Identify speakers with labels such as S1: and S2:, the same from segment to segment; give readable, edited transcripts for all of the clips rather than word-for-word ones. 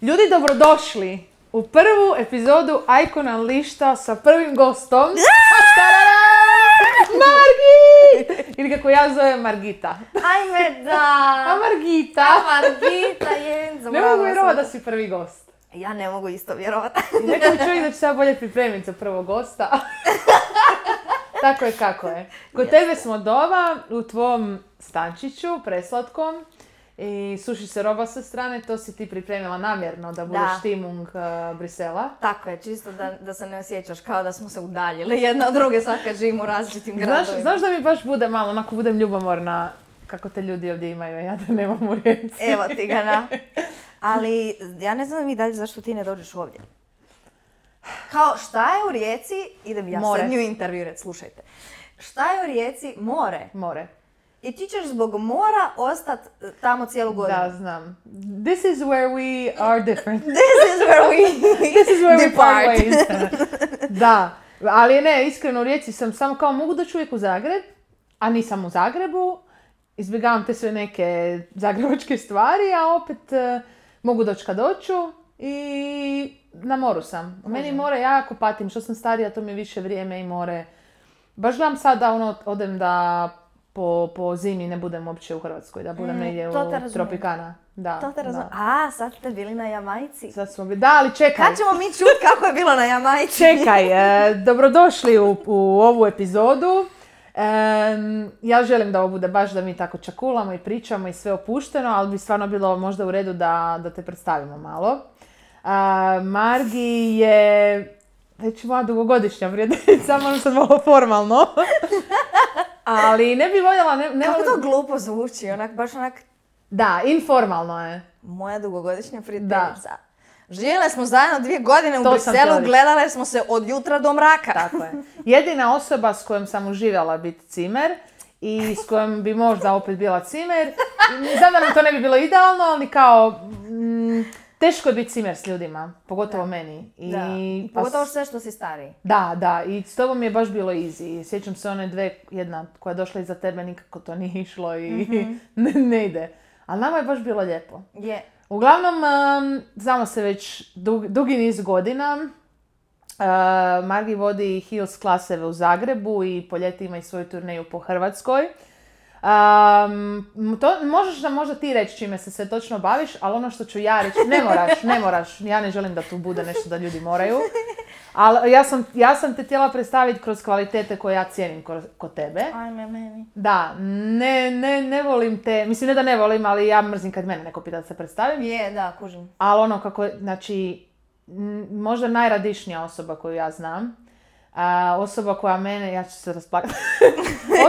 S1: Ljudi, dobrodošli u prvu epizodu Icon Unleasheda sa prvim gostom. Margi! Ili kako ja zovem Margita.
S2: Ajme da!
S1: A Margita?
S2: Jenzo,
S1: Ne mogu vjerovati da si prvi gost.
S2: Ja ne mogu isto vjerovati.
S1: Neko mi čovjek da će se bolje pripremiti za prvog gosta. Tako je kako je. Kod tebe smo doma u tvom stančiću, preslatkom. I suši se roba sa strane, to si ti pripremila namjerno da budeš Timung Brisela.
S2: Tako je, čisto da se ne osjećaš kao da smo se udaljili jedna od druge, sad kad živimo u različitim gradovima.
S1: Znaš da mi baš bude malo, onako budem ljubomorna kako te ljudi ovdje imaju, ja da nemam u Rijeci.
S2: Evo ti ga na. Ali ja ne znam mi dalje zašto ti ne dođeš ovdje. Kao šta je u Rijeci, idem ja sad nju intervjuirati, slušajte. Šta je u Rijeci? More.
S1: More.
S2: I ti ćeš zbog mora ostati tamo cijelu godinu.
S1: Da, znam. This is where we are different.
S2: This is where we
S1: part ways. Da, ali ne, iskreno u Rijeci sam samo kao mogu doći uvijek u Zagreb, a nisam u Zagrebu. Izbjegavam te sve neke zagrebačke stvari, a opet mogu doći kad doću i na moru sam. Meni more jako patim, što sam starija, to mi je više vrijeme i more. Baš gledam sad da odem da po zimi ne budem uopće u Hrvatskoj, da budem negdje u Tropikana. Da,
S2: to te razumijem. A, sad ste bili na Jamajci.
S1: Sad smo bili, da, ali čekaj.
S2: Kad ćemo mi čuti kako je bilo na Jamajci?
S1: Čekaj, dobrodošli u ovu epizodu. Ja želim da ovo bude baš da mi tako čakulamo i pričamo i sve opušteno, ali bi stvarno bilo možda u redu da te predstavimo malo. Margi je već moja dugogodišnja prijateljica, možda sad malo formalno. Ali ne bi voljela...
S2: Kako to glupo zvuči, baš onak...
S1: Da, informalno je.
S2: Moja dugogodišnja prijateljica. Živjeli smo zajedno 2 godine u Briselu, gledale smo se od jutra do mraka.
S1: Tako je. Jedina osoba s kojom sam uživjela biti cimer i s kojom bi možda opet bila cimer. Znam da nam to ne bi bilo idealno, ali kao... Teško je biti cimer s ljudima, pogotovo meni.
S2: Pogotovo sve što si stariji.
S1: Da, i s tobom je baš bilo easy. Sjećam se one dve, jedna koja je došla iza tebe, nikako to nije išlo i ne ide. Ali nama je baš bilo lijepo.
S2: Je.
S1: Uglavnom, znamo se već dugi niz godina. Margi vodi Heels klaseve u Zagrebu i po ljeti ima i svoju turneju po Hrvatskoj. Možeš nam možda ti reći čime se sve točno baviš, ali ono što ću ja reći, ne moraš, ja ne želim da tu bude nešto da ljudi moraju, ali ja sam te htjela predstaviti kroz kvalitete koje ja cijenim kod tebe.
S2: Ajme meni.
S1: Da, ne volim te, mislim ne da ne volim, ali ja mrzim kad mene neko pita da se predstavim.
S2: Je, da, kužim.
S1: Ali ono kako, znači, možda najradišnija osoba koju ja znam. Osoba koja mene, ja ću se rasplakati,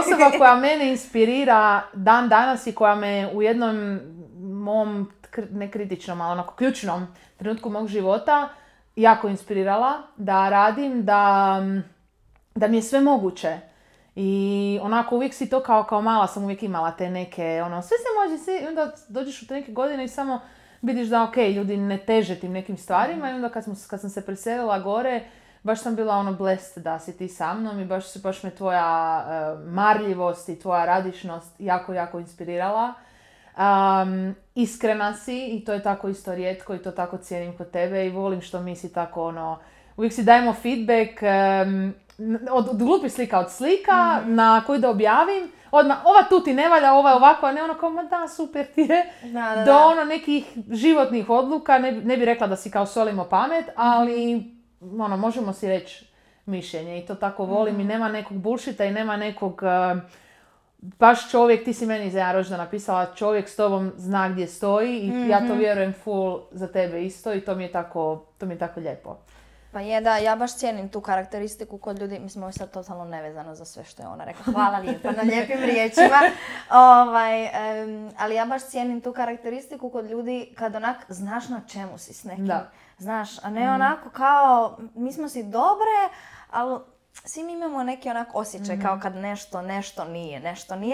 S1: osoba koja mene inspirira dan danas i koja me u jednom mom, ne kritičnom, ali onako ključnom trenutku mog života jako inspirirala da radim, da mi je sve moguće. I onako uvijek si to kao mala sam uvijek imala te neke, sve se može, i onda dođeš u te neke godine i samo vidiš da ljudi ne teže tim nekim stvarima i onda kad sam se preselila gore, baš sam bila blessed da si ti sa mnom i baš me tvoja marljivost i tvoja radišnost jako, jako inspirirala. Iskrena si i to je tako isto rijetko i to tako cijenim kod tebe i volim što mi si tako uvijek si dajemo feedback od glupih slika od slika na koju da objavim. Odmah, ova tu ti ne valja, ova je ovako, a ne kao, ma da, super ti je. Do nekih životnih odluka, ne bi rekla da si kao solimo pamet, ali možemo si reći mišljenje i to tako volim i nema nekog bullshita i nema nekog, baš čovjek, ti si meni za jedan rođendan napisala, čovjek s tobom zna gdje stoji i ja to vjerujem full za tebe isto i to mi je tako lijepo.
S2: Pa je da, ja baš cijenim tu karakteristiku kod ljudi, mislim ovo je sad totalno nevezano za sve što je ona rekla, hvala lijepa na lijepim riječima, ali ja baš cijenim tu karakteristiku kod ljudi kad onak znaš na čemu si s nekim, znaš, a ne onako kao mi smo si dobre, ali svi mi imamo neki onak osjećaj kao kad nešto nije,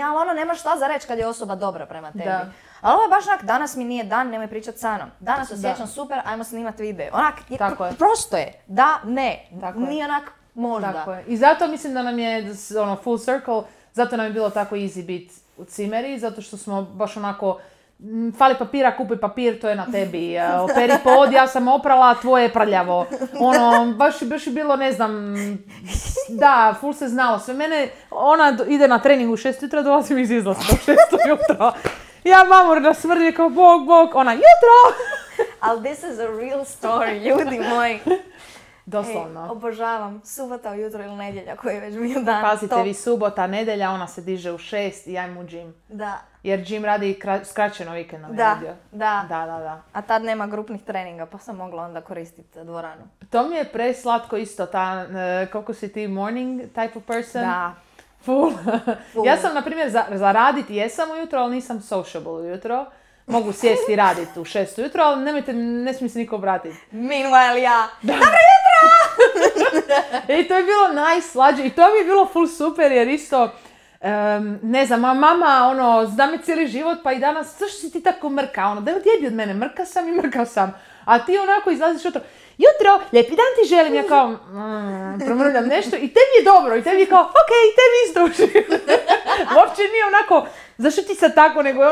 S2: ali nemaš šta za reći kad je osoba dobra prema tebi. Da. Ali ovo je baš onak, danas mi nije dan, nemoj pričat sa mnom. Danas osjećam super, ajmo snimat video. Onak, prosto je. Da, ne. Nije onak, možda.
S1: Tako je. I zato mislim da nam je full circle, zato nam je bilo tako easy biti u cimeri, zato što smo baš onako fali papira, kupi papir, to je na tebi. Operi pod, ja sam oprala, tvoje je prljavo. Baš je bilo, ne znam, da, ful se znalo sve. Mene, ona ide na trening u 6 jutra, dolazim iz izlaska u 6 jutro. Ja mamurna smrdi kao bog, ona jutro!
S2: Ali this is a real story, ljudi moji.
S1: Doslovno.
S2: Obožavam. Subota ujutro ili nedjelja koji je već bio dan.
S1: Pazite vi, subota, nedjelja, ona se diže u 6 i ajmo u gym.
S2: Da.
S1: Jer gym radi skraćeno vikend nam
S2: Da,
S1: vidio.
S2: da.
S1: Da.
S2: A tad nema grupnih treninga, pa sam mogla onda koristiti dvoranu.
S1: To mi je preslatko isto, koliko si ti morning type of person.
S2: Da.
S1: Full. Ja sam, na primjer, za raditi jesam ujutro, ali nisam sociable ujutro. Mogu sjesti i raditi u 6 ujutro, ali ne smije se niko obratiti.
S2: Meanwhile ja.
S1: Dobro jutro! I to je bilo najslađe. I to mi je bilo full super jer isto, ne znam, mama, zna me cijeli život, pa i danas, zašto si ti tako mrka? Daj odjebi od mene, mrka sam. A ti onako izlaziš jutro, lijepi dan ti želim. Ja kao, promrljam nešto i tebi je dobro. I tebi je kao, okej, tebi isto uži. Uopće nije onako, zašto ti sad tako, nego je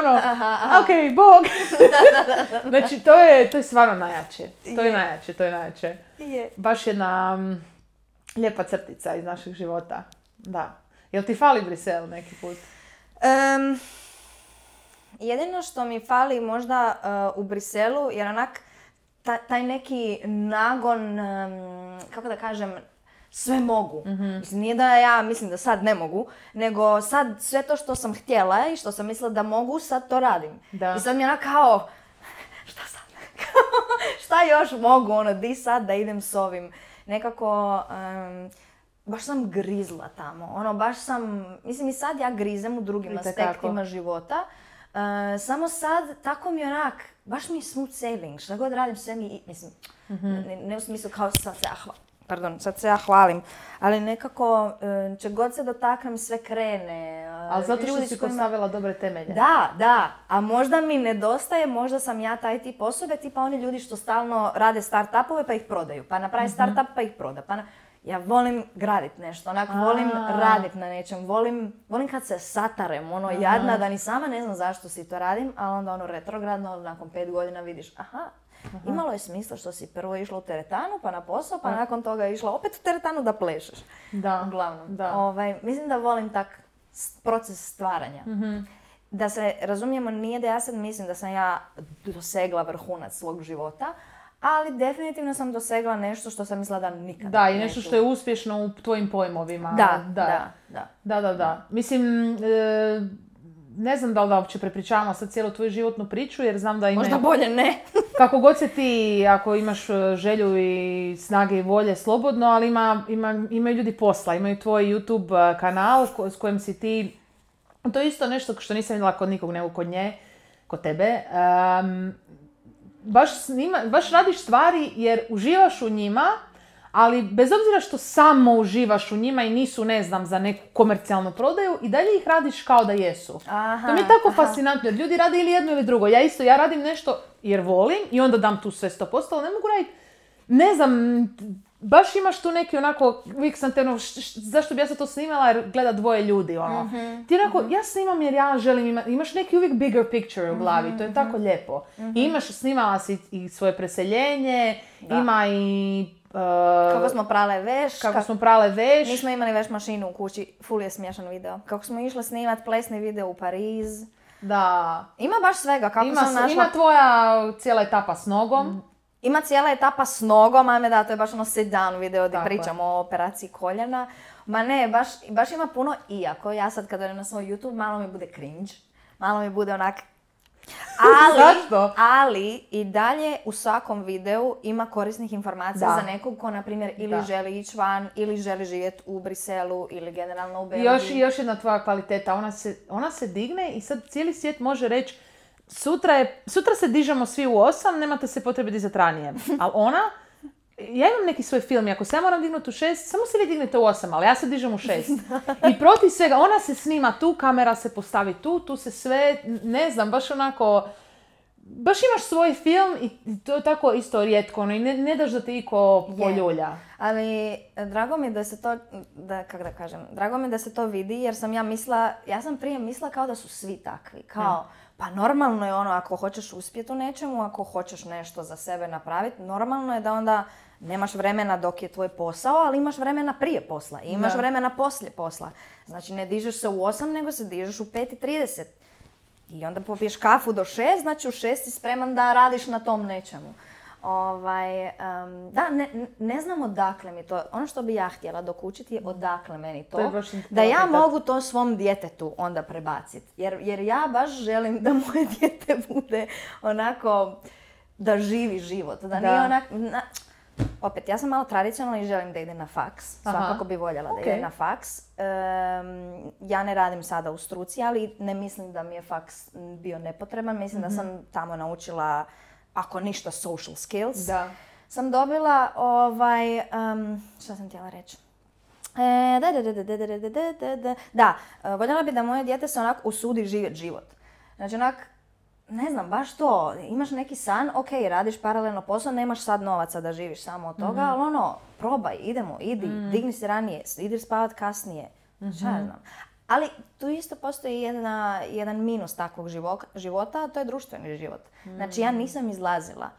S1: okej, bog. Znači, to je stvarno najjače. To je najjače. Baš jedna lijepa crtica iz naših života. Da. Jel ti fali Brisel neki put?
S2: Jedino što mi fali možda u Briselu je onak taj neki nagon, kako da kažem, sve mogu. Mislim, nije da ja mislim da sad ne mogu, nego sad sve to što sam htjela i što sam mislila da mogu, sad to radim.
S1: Da.
S2: I sad mi je onak kao, šta sad? Šta još mogu, di sad da idem s ovim? Nekako, baš sam grizla tamo. Baš sam, mislim i sad ja grizem u drugim aspektima života. Samo sad, tako mi onak, baš mi je smooth sailing, šta god radim sve mi, mislim, ne u smislu kao sad se ja hvalim, ali nekako, če god se dotaknem, sve krene.
S1: Ali zato što si postavila dobre temelje.
S2: Da, a možda mi nedostaje, možda sam ja taj tip osobe, tipa oni ljudi što stalno rade start-upove pa ih prodaju, pa napravi start-up pa ih proda, ja volim gradit nešto, volim radit na nečem, volim kad se satarem, jadna, da ni sama ne znam zašto si to radim, ali onda retrogradno, nakon 5 godina vidiš, imalo je smisla što si prvo išla u teretanu, pa na posao, pa nakon toga je išla opet u teretanu da plešeš.
S1: Da.
S2: Uglavnom.
S1: Da.
S2: Mislim da volim tak proces stvaranja. Da se razumijemo, nije da ja sad mislim da sam ja dosegla vrhunac svog života, ali definitivno sam dosegla nešto što sam mislila da nikad
S1: da, i nešto što je uspješno u tvojim pojmovima. Da. Mislim, ne znam da li da uopće prepričavamo sad cijelu tvoju životnu priču, jer znam da ima...
S2: Možda bolje ne.
S1: Kako god se ti, ako imaš želju i snage i volje, slobodno, ali imaju ljudi posla, imaju tvoj YouTube kanal s kojim si ti... To je isto nešto što nisam vidjela kod nikog, nego kod tebe. Baš radiš stvari jer uživaš u njima, ali bez obzira što samo uživaš u njima i nisu, ne znam, za neku komercijalnu prodaju, i dalje ih radiš kao da jesu. To mi je tako fascinantno, jer ljudi rade ili jedno ili drugo. Ja radim nešto jer volim i onda dam tu sve 100%, ali ne mogu raditi, ne znam, baš imaš tu neki onako, uvijek sam te zašto bi ja sad to snimala jer gleda 2 ljudi, Ti onako, ja snimam jer ja želim imaš neki uvijek bigger picture u glavi, to je tako lijepo. I snimala si i svoje preseljenje, ima i...
S2: kako smo prale veš. Nismo imali veš mašinu u kući, ful je smiješan video. Kako smo išli snimat plesni video u Pariz.
S1: Da.
S2: Ima baš svega, kako sam našla...
S1: Ima tvoja cijela etapa s nogom.
S2: Ima cijela etapa s nogom, ajme da, to je baš sit down video gdje pričamo o operaciji koljena. Ma ne, baš ima puno, iako ja sad kad idem na svoj YouTube, malo mi bude cringe. Malo mi bude onak... Ali i dalje u svakom videu ima korisnih informacija za nekog ko, na primjer, ili želi ići van, ili želi živjeti u Briselu, ili generalno u Belgiji.
S1: Još jedna tvoja kvaliteta, ona se digne i sad cijeli svijet može reći sutra se dižemo svi u 8, nemate se potrebe dizati ranije. Ali ja imam neki svoj film i ako se ja moram dignuti u 6, samo se vi dignete u 8, ali ja se dižem u 6. I protiv svega, ona se snima tu, kamera se postavi tu se sve, ne znam, baš onako, baš imaš svoj film i to je tako isto rijetko, i ne daš da te iko poljulja.
S2: Ali drago mi da se to, drago mi da se to vidi jer sam ja sam prije mislila kao da su svi takvi, kao Pa normalno je ono, ako hoćeš uspjeti u nečemu, ako hoćeš nešto za sebe napraviti, normalno je da onda nemaš vremena dok je tvoj posao, ali imaš vremena prije posla i imaš vremena poslije posla. Znači ne dižeš se u 8, nego se dižeš u 5:30. I onda popiješ kafu do 6, znači u 6 si spreman da radiš na tom nečemu. Ne znam odakle mi to, ono što bi ja htjela dokučiti je odakle meni to da ja mogu to svom djetetu onda prebaciti. Jer ja baš želim da moje dijete bude onako, da živi život, da nije onak... Opet, ja sam malo tradicionalna i želim da ide na faks. Svakako bi voljela da ide na faks. Ja ne radim sada u struci, ali ne mislim da mi je faks bio nepotreban. Mislim da sam tamo naučila, ako ništa, social skills. Da. Sam dobila, šta sam htjela reći? Voljela bi da moje dijete se onako usudi živjeti život. Znači onak, ne znam, baš to, imaš neki san, ok, radiš paralelno posao, nemaš sad novaca da živiš samo od toga, ali ono, probaj, idi, digni se ranije, idi spavat kasnije, šta ja znam. Ali tu isto postoji jedan minus takvog života, a to je društveni život. Znači ja nisam izlazila,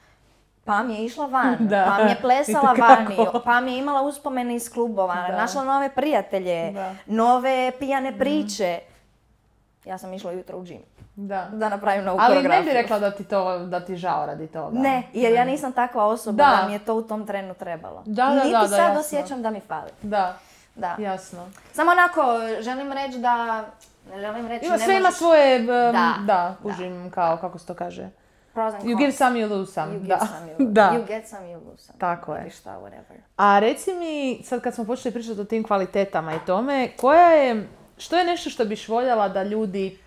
S2: pa mi je išla van, pa mi je plesala vani, pa mi je imala uspomene iz klubova, našla nove prijatelje, nove pijane priče. Ja sam išla jutro u džim. Da napravim novu koreografiju.
S1: Ali ne bi rekla da ti žao radi toga.
S2: Ne, jer ja nisam takva osoba da mi je to u tom trenu trebalo. Niti sad osjećam da mi fali.
S1: Da, jasno.
S2: Samo onako, želim reći da... Ne želim reći...
S1: Sve ima svoje... kužim kao, kako se to kaže? You give some, you lose some.
S2: You get some, you lose some.
S1: Tako je.
S2: Šta, whatever.
S1: A reci mi, sad kad smo počeli pričati o tim kvalitetama i tome, što je nešto što biš voljela da ljudi,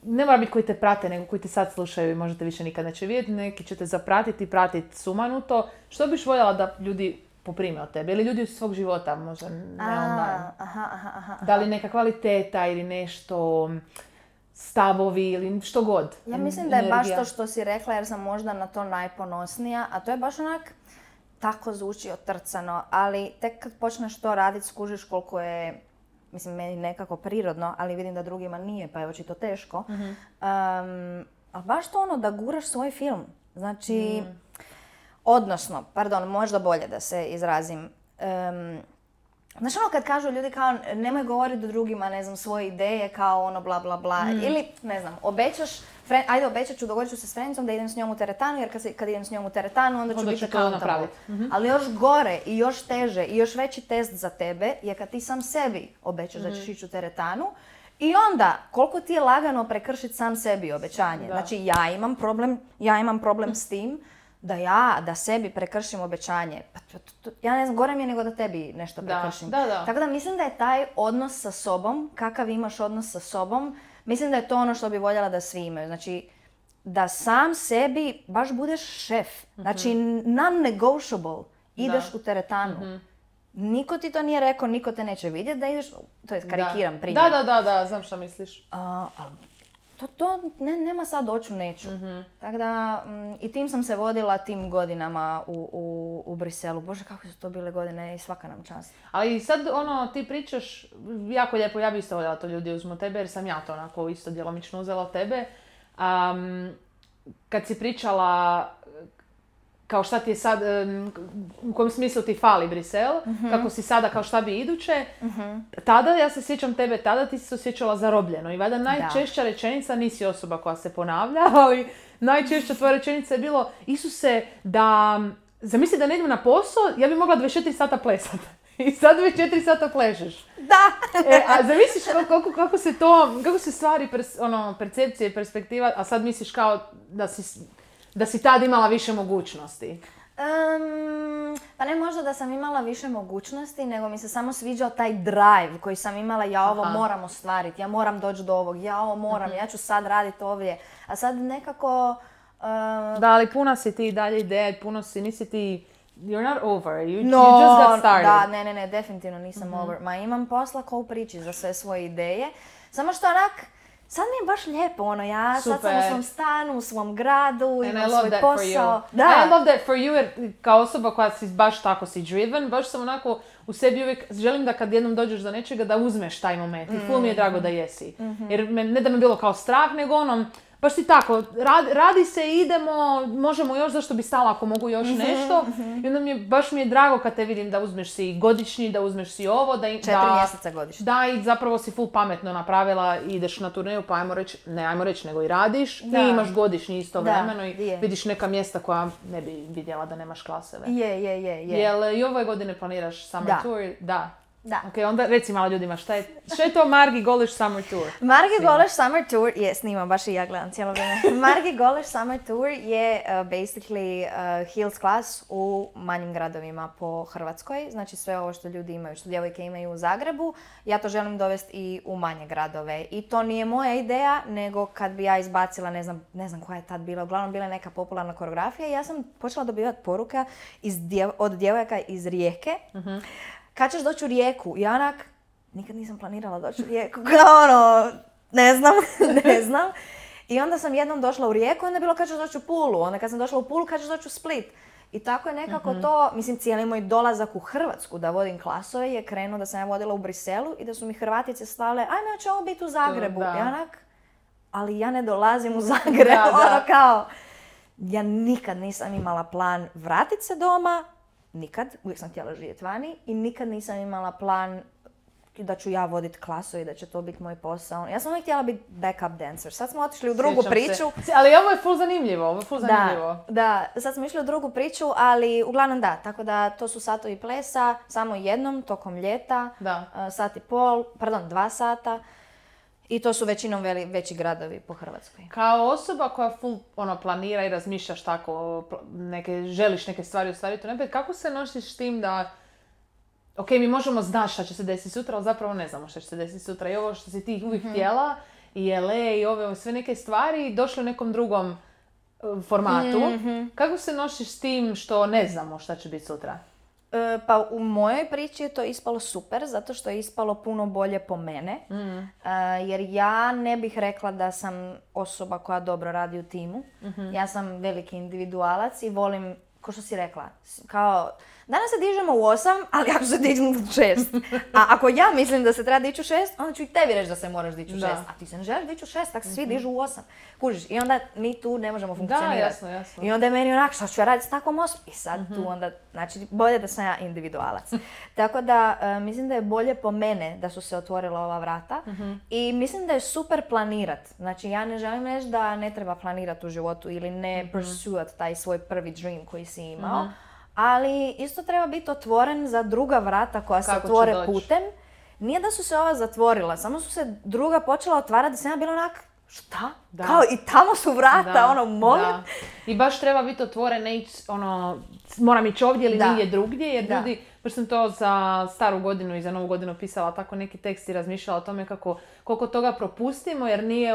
S1: ne mora biti koji te prate, nego koji te sad slušaju i možda te više nikad neće vidjeti, neki će te zapratiti, pratiti sumanuto, što biš voljela da ljudi poprime od tebe ili ljudi iz svog života, možda ne online. Da li neka kvaliteta ili nešto, stavovi ili što god.
S2: Ja mislim da je baš to što si rekla, jer sam možda na to najponosnija, a to je baš onak, tako zvuči otrcano, ali tek kad počneš to raditi, skužiš koliko je, mislim, meni nekako prirodno, ali vidim da drugima nije, pa je očito teško. Ali baš to ono da guraš svoj film. Znači, odnosno, možda bolje da se izrazim. Znaš ono kad kažu ljudi kao nemoj govoriti drugima, ne znam, svoje ideje kao ono bla bla bla. Ili, ne znam, obećat ću, dogovorit ću se s Frenicom da idem s njom u teretanu, jer kad idem s njom u teretanu onda ću biti accountable. Ali još gore i još teže i još veći test za tebe je kad ti sam sebi obećaš da ćeš ići u teretanu i onda koliko ti je lagano prekršiti sam sebi obećanje. Znači ja imam problem s tim da sebi prekršim obećanje. Ja ne znam, gore mi je nego da tebi nešto prekršim. Tako da mislim da je taj odnos sa sobom, kakav imaš odnos sa sobom, mislim da je to ono što bi voljela da svi imaju. Znači, da sam sebi baš budeš šef. Znači, non-negotiable. Ideš u teretanu. Niko ti to nije rekao, niko te neće vidjeti da ideš, to je karikiram primjer.
S1: Da, znam što misliš.
S2: To nema sad doću neću. Tako da, i tim sam se vodila tim godinama u Briselu. Bože, kako su to bile godine i svaka nam čast.
S1: Ali sad ti pričaš jako lijepo, ja bi isto voljela to ljudi uzmu tebe, jer sam ja to onako isto djelomično uzela od tebe. Kad si pričala kao šta ti je sad, u kojem smislu ti fali Brisel, kako si sada, kao šta bi iduće, tada, ja se sjećam tebe, tada ti si se osjećala zarobljeno i valjda najčešća rečenica, nisi osoba koja se ponavlja, ali najčešća tvoja rečenica je bilo, Isuse, zamisli da ne idem na posao, ja bi mogla 24 sata plesati. I sad 24 sata plešeš.
S2: Da!
S1: A zamisliš kako se stvari, percepcije, perspektiva, a sad misliš kao da si tad imala više mogućnosti?
S2: Pa ne možda da sam imala više mogućnosti, nego mi se samo sviđao taj drive koji sam imala, ja ovo moram ostvariti, ja moram doći do ovog, ja ovo moram, ja ću sad raditi ovdje. A sad nekako...
S1: Da, ali puna si ti dalje ideje, nisi ti... You're not over, you just got started.
S2: Da, ne, definitivno nisam over. Ma imam posla ko u priči za sve svoje ideje. Samo što onak, sad mi je baš lijepo, ja sad sam u svom stanu, u svom gradu, imam svoj posao.
S1: I love that for you, jer kao osoba koja si baš tako si driven, baš sam onako u sebi uvijek želim da kad jednom dođeš do nečega da uzmeš taj moment. I ful mi je drago da jesi. Jer ne da me bilo kao strah, nego baš ti tako, radi se, idemo, možemo još, zašto bi stala ako mogu još nešto. I onda baš mi je drago kad te vidim da uzmeš si godišnji, da uzmeš si ovo.
S2: 4 mjeseca godišnji.
S1: Da, i zapravo si full pametno napravila i ideš na turneju, pa ajmo reći, nego i radiš. I imaš godišnji istovremeno i vidiš neka mjesta koja ne bi vidjela da nemaš klaseve.
S2: Je.
S1: Jel i ove godine planiraš summer tour? Da.
S2: Da.
S1: Ok, onda reci malo ljudima šta je to Margi Goleš Summer Tour?
S2: Margi Goleš Summer Tour, snimam, baš i ja gledam cijelo vrijeme. Margi Goleš Summer Tour je basically heels class u manjim gradovima po Hrvatskoj. Znači sve ovo što ljudi imaju, što djevojke imaju u Zagrebu, ja to želim dovesti i u manje gradove. I to nije moja ideja, nego kad bi ja izbacila, ne znam koja je tad bila, uglavnom bila je neka popularna koreografija i ja sam počela dobivati poruka od djevojaka iz Rijeke. Kad ćeš doći u Rijeku? I onak, nikad nisam planirala doći u Rijeku, kao ne znam. I onda sam jednom došla u Rijeku, onda je bilo kad ćeš doći u Pulu, onda kad sam došla u Pulu, kad ćeš doći u Split. I tako je nekako to, mislim, cijeli moj dolazak u Hrvatsku da vodim klasove je krenuo da sam ja vodila u Briselu i da su mi Hrvatice slale, ajme, će ovo biti u Zagrebu. I onak, ali ja ne dolazim u Zagreb, kao, ja nikad nisam imala plan vratit se doma, nikad, uvijek sam htjela živjeti vani i nikad nisam imala plan da ću ja voditi klasu i da će to biti moj posao. Ja sam uvijek htjela biti backup dancer. Sad smo otišli u drugu priču.
S1: Ali ovo je ful zanimljivo,
S2: Da, sad smo išli u drugu priču, ali uglavnom da. Tako da to su satovi plesa, samo jednom, tokom ljeta, 2 sata. I to su većinom veći gradovi po Hrvatskoj.
S1: Kao osoba koja full planira i razmišljaš tako, želiš neke stvari ostvariti unaprijed, kako se nosiš s tim da ok, mi možemo znati šta će se desiti sutra, ali zapravo ne znamo šta će se desiti sutra. I ovo što si ti uvijek htjela, i LA i ove sve neke stvari, došle u nekom drugom formatu. Kako se nosiš s tim što ne znamo šta će biti sutra?
S2: Pa u mojoj priči je to ispalo super, zato što je ispalo puno bolje po mene. Jer ja ne bih rekla da sam osoba koja dobro radi u timu. Ja sam veliki individualac i volim, ko što si rekla, kao danas se dižemo u 8, ali ja ću se dići u 6. A ako ja mislim da se treba dići u 6, onda ću i tebi reći da se moraš dići u 6. A ti se ne želiš dići u 6, tako se svi dižu u 8. Kužiš, i onda mi tu ne možemo funkcionirati.
S1: Da, jasno.
S2: I onda je meni onak, što ću ja raditi s takvom osobom? I sad tu onda, znači, bolje da sam ja individualac. Tako da, mislim da je bolje po mene da su se otvorila ova vrata. I mislim da je super planirat. Znači, ja ne želim reći da ne treba planirati u životu ili ne pursuat taj svoj prvi dream koji si imao. Ali isto treba biti otvoren za druga vrata koja se otvore putem. Nije da su se ova zatvorila, samo su se druga počela otvarati da sam ja bila onak, šta? Da. Kao i tamo su vrata, molim. Da.
S1: I baš treba biti otvoren, ne ići, moram ići ovdje ili nije drugdje, jer ljudi, baš sam to za staru godinu i za novu godinu pisala tako neki tekst i razmišljala o tome koliko toga propustimo, jer nije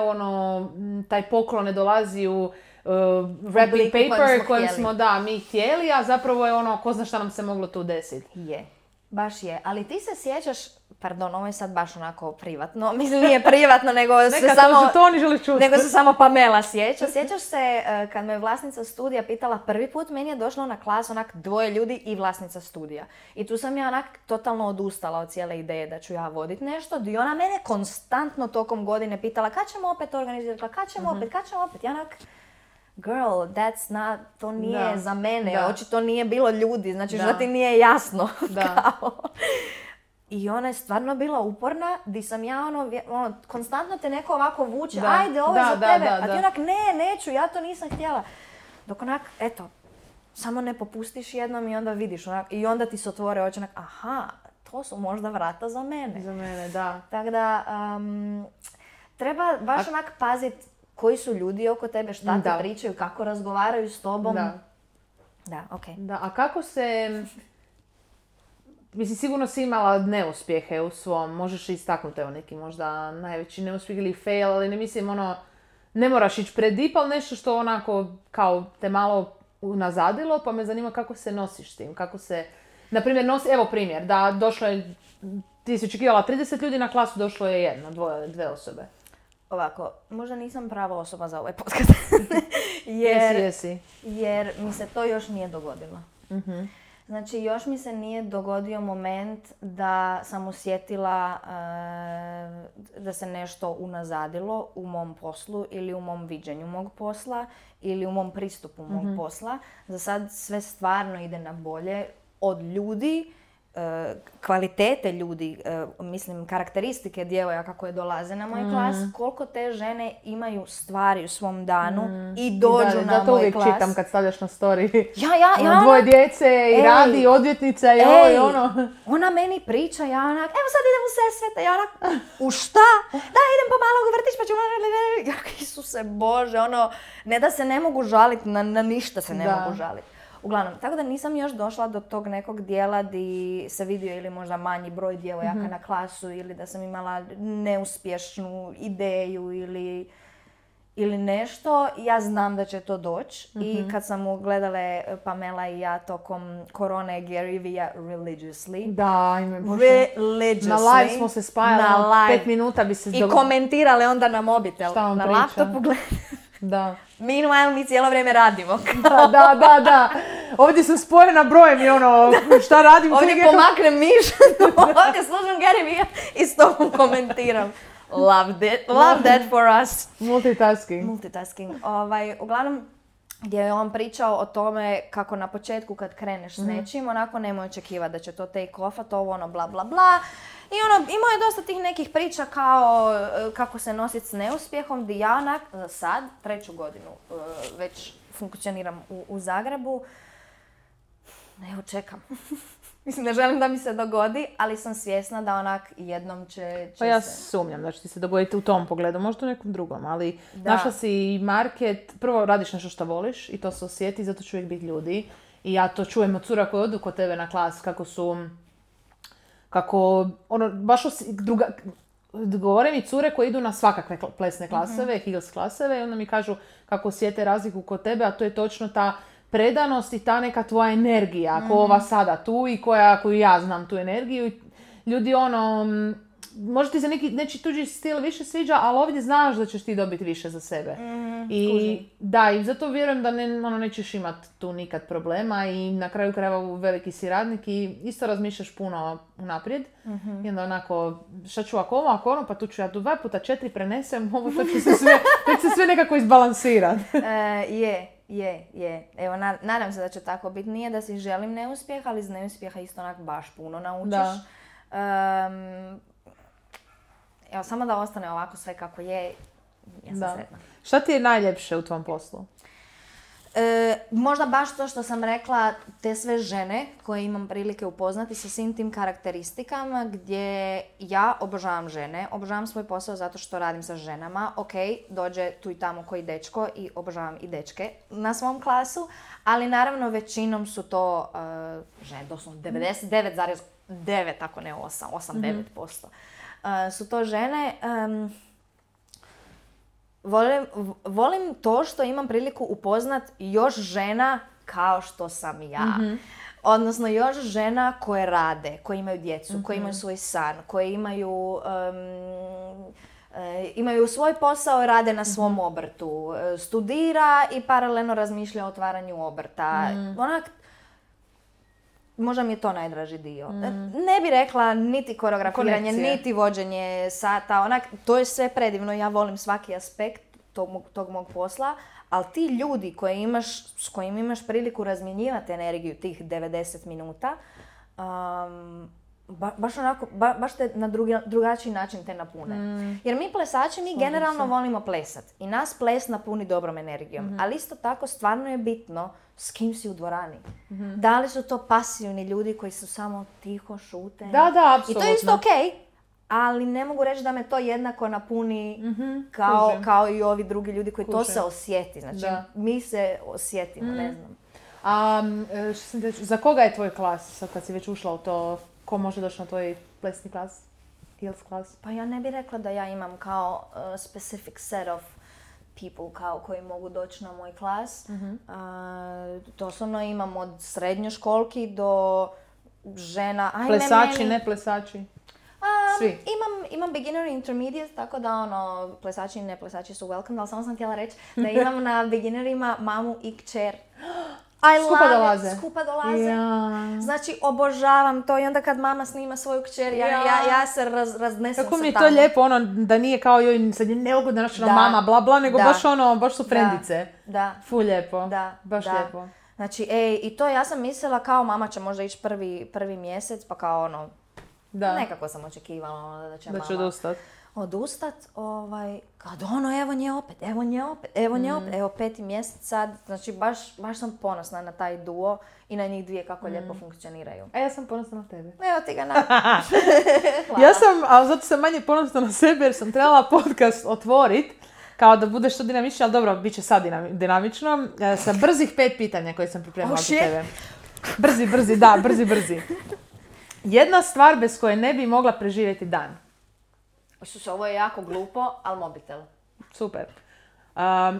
S1: taj poklon ne dolazi u wrapping paper kojem smo mi htjeli, a zapravo je ko zna šta nam se moglo tu desiti.
S2: Je, baš je. Ali ti se sjećaš, pardon, ovo je sad baš onako privatno, mislim nije privatno, nego se samo Pamela sjeća. Sjećaš se kad me vlasnica studija pitala prvi put, meni je došlo na klas onak 2 ljudi i vlasnica studija. I tu sam ja onak totalno odustala od cijele ideje da ću ja voditi nešto. I ona mene konstantno tokom godine pitala kad ćemo opet organizirati, kad ćemo opet. Ja onak, girl, to nije za mene, očito nije bilo ljudi, znači što ti nije jasno. I ona je stvarno bila uporna, di sam ja konstantno te neko ovako vuče, ajde, ovo je za tebe, a ti onak, neću, ja to nisam htjela. Dok onak, eto, samo ne popustiš jednom i onda vidiš onak, i onda ti se otvore oči onak, aha, to su možda vrata za mene.
S1: Za mene, da.
S2: Tako da, treba baš onak paziti koji su ljudi oko tebe, šta ti pričaju, kako razgovaraju s tobom. Da, okej.
S1: Da, a kako se... Mislim, sigurno si imala neuspjehe u svom, možeš istaknuti neki možda najveći neuspjeh ili fail, ali ne mislim ne moraš ići pred deep, ali nešto što onako kao te malo unazadilo, pa me zanima kako se nosiš s tim, kako se, na primjer, evo primjer, da došlo je, ti si očekivala 30 ljudi na klasu, došlo je 1, 2, 2 osobe.
S2: Ovako, možda nisam prava osoba za ovaj podcast.
S1: Jesi.
S2: Jer mi se to još nije dogodilo. Znači, još mi se nije dogodio moment da sam osjetila da se nešto unazadilo u mom poslu ili u mom viđenju mog posla ili u mom pristupu mog posla. Za sad sve stvarno ide na bolje od ljudi, kvalitete ljudi, mislim karakteristike djevojaka koje dolaze na moj klas, koliko te žene imaju stvari u svom danu i dođu na
S1: da to
S2: moj
S1: uvijek
S2: klas.
S1: čitam kad stavljaš na story.
S2: Ja
S1: dvoje djece i radi, odvjetnica i ovo i ono.
S2: Ona meni priča, ja onak, evo sad idem u Sesvete, ja onak, u šta? Da, idem pomalo u vrtić pa ću... Ja, Isuse Bože, ono, ne da se ne mogu žaliti, na ništa se ne mogu žaliti. Uglavnom, tako da nisam još došla do tog nekog dijela di se vidio ili možda manji broj djevojaka na klasu ili da sam imala neuspješnu ideju ili nešto. Ja znam da će to doći i kad sam gledale Pamela i ja tokom korone Gary Vee religiously.
S1: Da,
S2: religiously.
S1: Na live smo se spajali, 5 minuta bi se...
S2: I komentirale onda na mobitel.
S1: Šta on
S2: na
S1: priča?
S2: laptopu gledali.
S1: Da.
S2: Meanwhile, mi cijelo vrijeme radimo.
S1: Da. Ovdje sam spojena brojem i ono, šta radim?
S2: Ovdje pomaknem miš, ovdje slušam Gary Vee i s tobom komentiram. Love that for us.
S1: Multitasking.
S2: Uglavnom, gdje je on pričao o tome kako na početku kad kreneš s nečim, onako nemoj očekivati da će to take off, a to ono bla bla bla. I ono, imao je dosta tih nekih priča kao kako se nositi s neuspjehom, gdje ja onak za sad, 3. godinu već funkcioniram u Zagrebu. Evo čekam. Mislim, ne želim da mi se dogodi, ali sam svjesna da onak jednom će
S1: pa ja sumnjam da će ti se dogoditi u tom pogledu, možda u nekom drugom, ali našla si market, prvo radiš nešto što voliš i to se osjeti, zato će uvijek biti ljudi. I ja to čujem od cura koje odu kod tebe na klas, baš govore mi cure koje idu na svakakve plesne klaseve, Hills klaseve i onda mi kažu kako osjete razliku kod tebe, a to je točno ta predanost i ta neka tvoja energija, ko ova sada tu i koju ja znam tu energiju. Ljudi možda ti se nečiji tuđi stil više sviđa, ali ovdje znaš da ćeš ti dobiti više za sebe. I zato vjerujem da nećeš imati tu nikad problema i na kraju krajeva veliki si radnik i isto razmišljaš puno unaprijed. I onda onako, šta ću ako ono, pa tu ću ja 2 puta 4 prenesem, ovo to će se sve nekako izbalansirati.
S2: Je. Evo, nadam se da će tako biti. Nije da si želim neuspjeh, ali iz neuspjeha isto onak baš puno naučiš. Evo, samo da ostane ovako sve kako je, ja sam sretna.
S1: Šta ti je najljepše u tvom poslu?
S2: Možda baš to što sam rekla, te sve žene koje imam prilike upoznati sa svim tim karakteristikama gdje ja obožavam žene, obožavam svoj posao zato što radim sa ženama. Ok, dođe tu i tamo koji dečko i obožavam i dečke na svom klasu, ali naravno većinom su to žene, doslovno 99,9, ako ne 8-9%. Su to žene. Volim to što imam priliku upoznat još žena kao što sam ja. Odnosno još žena koje rade, koje imaju djecu, koje imaju svoj san, koje imaju svoj posao i rade na svom obrtu. Studira i paralelno razmišlja o otvaranju obrta. Onak, možda mi je to najdraži dio. Ne bi rekla niti koreografiranje, niti vođenje sata. Onak, to je sve predivno. Ja volim svaki aspekt tog mog posla. Ali ti ljudi s kojim imaš priliku razmjenjivati energiju tih 90 minuta, baš te na drugačiji način te napune. Jer mi plesači, mi generalno volimo plesat. I nas ples napuni dobrom energijom. Ali isto tako stvarno je bitno s kim si u dvorani. Da li su to pasivni ljudi koji su samo tiho, šute?
S1: Da, apsolutno.
S2: I to je isto okej. Ali ne mogu reći da me to jednako napuni kao i ovi drugi ljudi koji to se osjeti. Znači, mi se osjetimo, ne znam.
S1: Za koga je tvoj klas, sad kad si već ušla u to, ko može doći na tvoj plesni klas, Hills klas?
S2: Pa ja ne bih rekla da ja imam kao specific set of people koji mogu doći na moj klas. Doslovno imam od srednjoškolki do žena.
S1: Plesači, ne plesači? Svi.
S2: Imam beginner i intermediate, tako da plesači i ne plesači su welcome, ali samo sam htjela reći da imam na beginnerima mamu i kćer. Skupa dolaze. Ja. Znači, obožavam to i onda kad mama snima svoju kćer, ja se raznesem
S1: kako mi je to lijepo, ono, da nije kao joj, sad je neugodna naša mama, bla bla, nego baš ono, baš su frendice.
S2: Da.
S1: Ful lijepo, baš lijepo.
S2: Znači, i to ja sam mislila kao mama će možda ići prvi mjesec, pa kao ono, nekako sam očekivala da će mama odustat, kad ono, evo nje opet, evo 5. mjesec sad, znači baš sam ponosna na taj duo i na njih dvije kako lijepo funkcioniraju.
S1: A ja sam ponosna na tebe.
S2: Evo ti ga na.
S1: Ja sam, ali zato sam manje ponosna na sebe jer sam trebala podcast otvorit, kao da bude što dinamičnije, ali dobro, bit će sad dinamično, sa brzih 5 pitanja koje sam pripremila za tebe. Brzi. Jedna stvar bez koje ne bi mogla preživjeti dan.
S2: Ovo je jako glupo, ali mobitel.
S1: Super.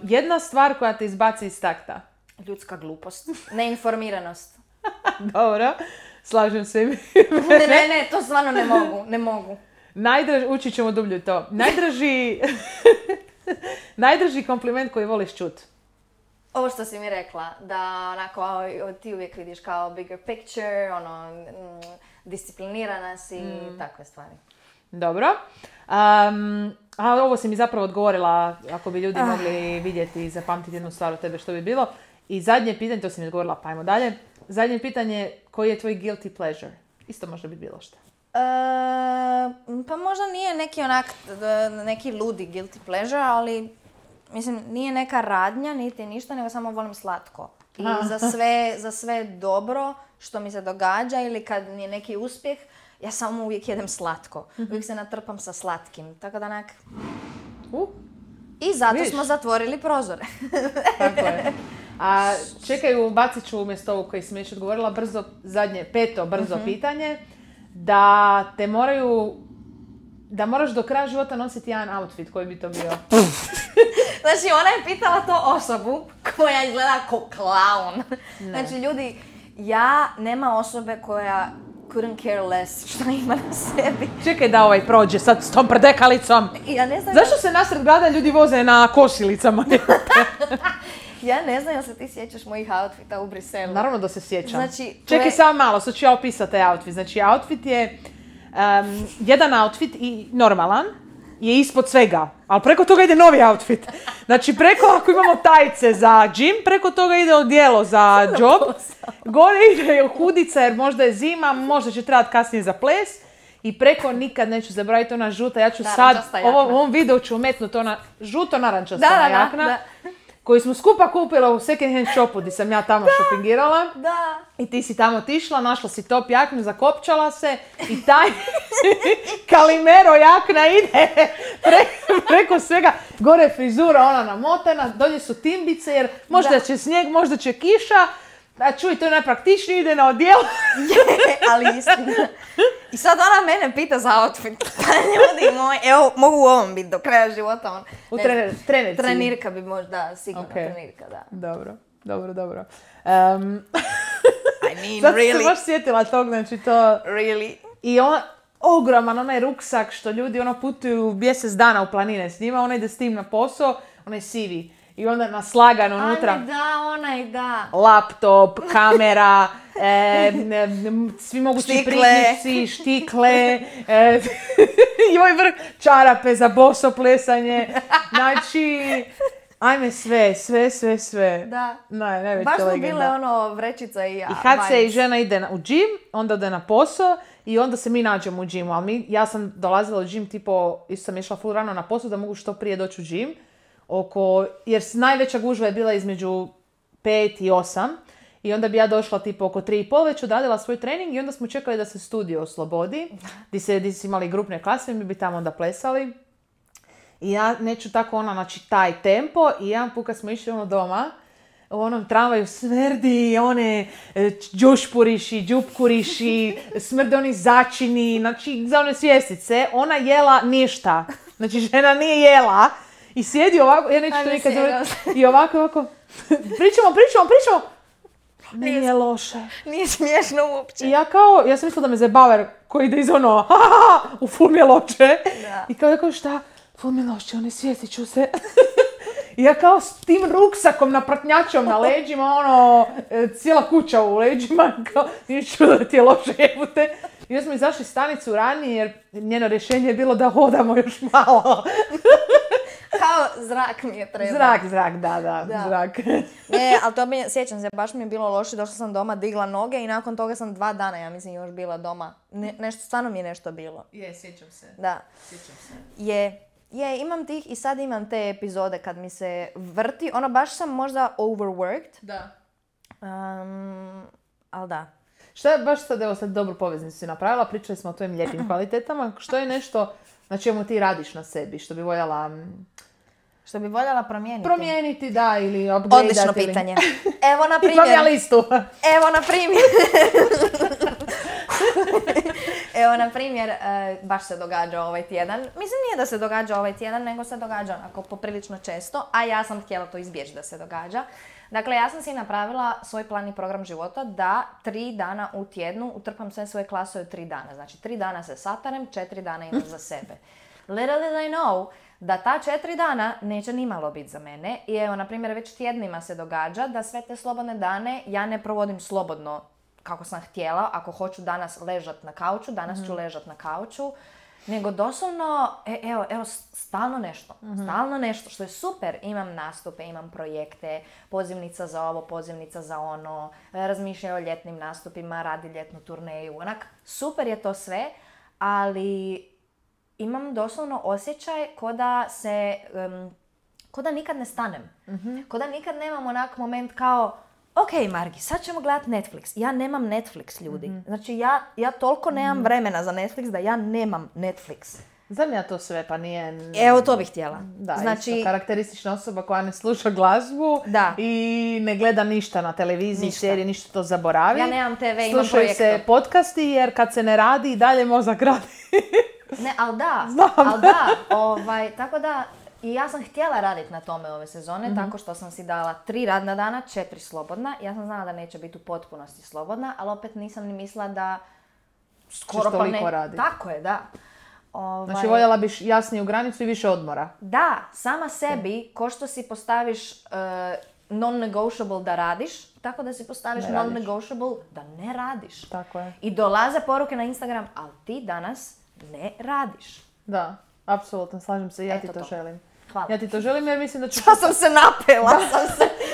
S1: Jedna stvar koja te izbaci iz takta.
S2: Ljudska glupost. Neinformiranost.
S1: Dobro, slažem se.
S2: Ne, to stvarno ne mogu.
S1: Učit ćemo dublje to. Najdraži kompliment koji voliš čut.
S2: Ovo što si mi rekla, da onako ti uvijek vidiš kao bigger picture, ono, disciplinirana si i takve stvari.
S1: Dobro. Ovo si mi zapravo odgovorila, ako bi ljudi mogli vidjeti i zapamtiti jednu stvar od tebe, što bi bilo. I zadnje pitanje, to si mi odgovorila, pa ajmo dalje. Zadnje pitanje, koji je tvoj guilty pleasure? Isto može biti bilo što.
S2: Pa možda nije neki ludi guilty pleasure, ali mislim, nije neka radnja, niti ništa, nego samo volim slatko. I za sve dobro što mi se događa ili kad je neki uspjeh, ja samo uvijek jedem slatko. Uvijek se natrpam sa slatkim. Tako da onak... I zato smo zatvorili prozore.
S1: Tako je. A čekaj, bacit ću umjesto ovog koji sam već odgovorila brzo, peto pitanje. Da moraš do kraja života nositi jedan outfit, koji bi to bio?
S2: Znači, ona je pitala to osobu koja izgleda kao klaun. Znači, ljudi, nema osobe koja couldn't care less što ima na sebi.
S1: Čekaj da prođe sad s tom prdekalicom.
S2: Ja ne znam...
S1: Zašto se nasred grada ljudi voze na kosilicama?
S2: Ja ne znam, jel se ti sjećaš mojih outfita u Briselu?
S1: Naravno da se sjećam. Znači, čekaj samo malo, sad ću ja opisati taj outfit. Znači, outfit je jedan outfit i normalan je ispod svega, ali preko toga ide novi outfit. Znači, ako imamo tajce za gym, preko toga ide odijelo za job. Gore ide hudica jer možda je zima, možda će trebati kasnije za ples. I preko nikad neću zaboraviti ona žuta, ja ću sad, u ovom videu ću umetnuti ona žuto-narančasta jakna. Koju smo skupa kupila u second hand shopu gdje sam ja tamo šopingirala.
S2: Da.
S1: I ti si tamo otišla, našla si top jaknu, zakopčala se i taj Kalimero jakna ide preko svega. Gore frizura ona namotana, dolje su timbice jer možda će snijeg, možda će kiša. A čuj, to je najpraktičnije, ide na odijelo.
S2: Ali istina. I sad ona mene pita za outfit. Pa ljudi moji, evo, mogu u ovom biti do kraja života.
S1: U trenerci.
S2: Trenirka bi možda, sigurno trenirka, da.
S1: Dobro.
S2: I mean,
S1: sad
S2: really?
S1: Sad se baš sjetila tog, znači to...
S2: Really?
S1: I ogroman onaj ruksak što ljudi putuju mjesec dana u planine s njima, ona ide s tim na posao, onaj sivi. I onda naslagan unutra.
S2: Da.
S1: Laptop, kamera, svi mogući priključci, štikle, i ovaj vrh čarape za boso plesanje. Znači, ajme sve.
S2: Da.
S1: Najveća
S2: baš
S1: legenda.
S2: Baš smo bile vrećica i
S1: kad se i žena ide u gym, onda ode na posao i onda se mi nađemo u gymu. Ali ja sam dolazila u gym, isto sam išla full rano na posao da mogu što prije doći u gym. Jer najveća gužva je bila između 5 i 8 i onda bi ja došla oko 3:30 već odradila svoj trening i onda smo čekali da se studio oslobodi gdje su imali grupne klase, mi bi tamo onda plesali i ja neću tako znači taj tempo i jedan put kad smo išli doma u onom tramvaju smrdi one džušpuriši, džupkuriši, smrde oni začini, znači za one svjestice, ona jela ništa, znači žena nije jela. I sjedi ovako, ja neću to nikad zavrati, i ovako, pričamo. Nije loše.
S2: Nije smiješno uopće.
S1: I ja sam mislila da me zabaver koji ide iz u ful mi je loše. Da. I ja kao šta? Ful mi je loše, sjetit ću se. I ja kao s tim ruksakom na pratnjačom na leđima, ono, cijela kuća u leđima, kao, nije čudo da ti je loše jebute. I smo izašli stanicu ranije jer njeno rješenje je bilo da hodamo još malo.
S2: Kao zrak mi je trebao.
S1: Zrak, da, zrak.
S2: Ali to sjećam se, baš mi je bilo loše, došla sam doma, digla noge i nakon toga sam 2 dana, ja mislim, još bila doma. Nešto, stvarno mi je nešto bilo.
S1: Sjećam se.
S2: Da.
S1: Sjećam se.
S2: Je, imam tih i sad imam te epizode kad mi se vrti, ono baš sam možda overworked.
S1: Da.
S2: Ali da.
S1: Što je baš sad, evo sad dobru poveznicu si napravila, pričali smo o tvojim lijepim kvalitetama, što je nešto na čemu ti radiš na sebi, što bi voljela...
S2: Što bi voljela promijeniti?
S1: Promijeniti, da, ili upgradeati.
S2: Odlično pitanje. Evo na primjer.
S1: Imam ja listu.
S2: Evo na primjer. Evo na primjer, baš se događa ovaj tjedan. Mislim nije da se događa ovaj tjedan, nego se događa onako poprilično često, a ja sam htjela to izbjeći da se događa. Dakle, ja sam si napravila svoj plan i program života da 3 dana u tjednu utrpam sve svoje klasove 3 dana. Znači 3 dana se satarem, 4 dana imam za sebe. Little did I know da ta 4 dana neće nimalo biti za mene. I evo, na primjer, već tjednima se događa da sve te slobodne dane ja ne provodim slobodno kako sam htjela. Ako hoću danas ležat na kauču, danas ću ležat na kauču. Nego doslovno, evo, stalno nešto, što je super. Imam nastupe, imam projekte, pozivnica za ovo, pozivnica za ono, razmišljaju o ljetnim nastupima, radi ljetnu turneju. Onak, super je to sve, ali imam doslovno osjećaj ko da nikad ne stanem. Ko da nikad nemam onak moment kao, ok, Margi, sad ćemo gledat Netflix. Ja nemam Netflix, ljudi. Znači, ja toliko nemam vremena za Netflix da ja nemam Netflix.
S1: Znam ja to sve, pa nije...
S2: Evo, to bih htjela.
S1: Da, znači, isto karakteristična osoba koja ne sluša glazbu i ne gleda ništa na televiziji, serije, ništa to zaboravi.
S2: Ja nemam TV, imam projektor.
S1: Slušaju se podcasti jer kad se ne radi i dalje mozak radi.
S2: Ne, ali da. Tako da... I ja sam htjela raditi na tome ove sezone, tako što sam si dala 3 radna dana, 4 slobodna. Ja sam znala da neće biti u potpunosti slobodna, ali opet nisam ni mislila da skoro pa ne...
S1: Raditi.
S2: Tako je, da.
S1: Znači voljela biš jasniju granicu i više odmora.
S2: Da, sama sebi, ko što si postaviš non-negotiable da radiš, tako da si postaviš non-negotiable da ne radiš.
S1: Tako je.
S2: I dolaze poruke na Instagram, ali ti danas ne radiš.
S1: Da, apsolutno, slažem se, ja ti to želim.
S2: Hvala.
S1: Ja ti to želim jer mislim da ću...
S2: Ja sam se napela.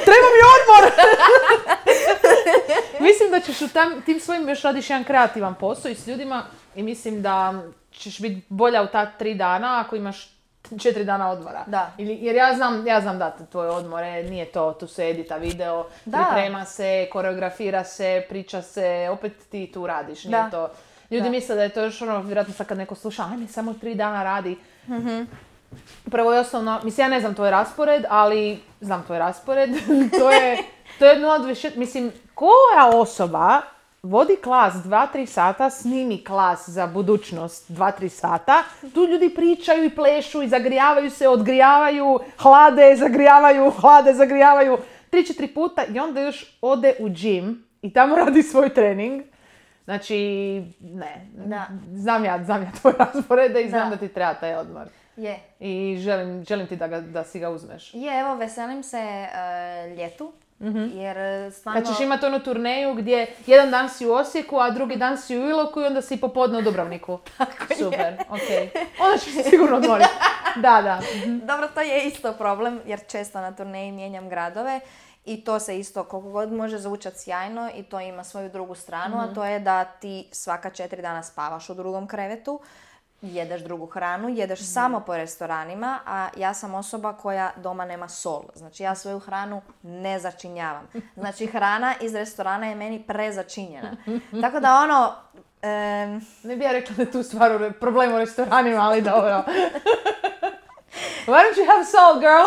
S1: Treba mi odmor! Mislim da ćeš tim svojim još radiš jedan kreativan posao i s ljudima i mislim da ćeš biti bolja u ta 3 dana ako imaš 4 dana odmora.
S2: Da.
S1: Jer ja znam da tvoje odmore, nije to, tu se edita video, priprema se, koreografira se, priča se, opet ti tu radiš, nije to... Ljudi misle da je to još ono, vjerojatno sad kad neko sluša, ajme, samo 3 dana radi. Prvo i osnovno, mislim, ja ne znam tvoj raspored, ali znam tvoj raspored. to je 1 mislim, koja osoba vodi klas 2-3 sata, snimi klas za budućnost 2-3 sata, tu ljudi pričaju i plešu i zagrijavaju se, odgrijavaju, hlade, zagrijavaju, 3-4 puta i onda još ode u gym i tamo radi svoj trening. Znači, ne, znam ja tvoj raspored i znam da ti treba taj odmor.
S2: Je.
S1: I želim ti da si ga uzmeš.
S2: Evo, veselim se ljetu. Jer stvarno...
S1: Kad ćeš imati onu turneju gdje jedan dan si u Osijeku, a drugi dan si u Iloku i onda si popodne u Dubrovniku.
S2: Tako
S1: super, ok. Onda ćeš se sigurno odmoriti. Da.
S2: Dobro, to je isto problem jer često na turneji mijenjam gradove. I to se isto koliko god može zvučati sjajno i to ima svoju drugu stranu, a to je da ti svaka 4 dana spavaš u drugom krevetu, jedeš drugu hranu, jedeš samo po restoranima, a ja sam osoba koja doma nema sol. Znači ja svoju hranu ne začinjavam. Znači hrana iz restorana je meni prezačinjena. Tako da ono...
S1: Ne bih ja rekla da je tu stvar problem u restoranima, ali dobro. Why don't you have salt, girl?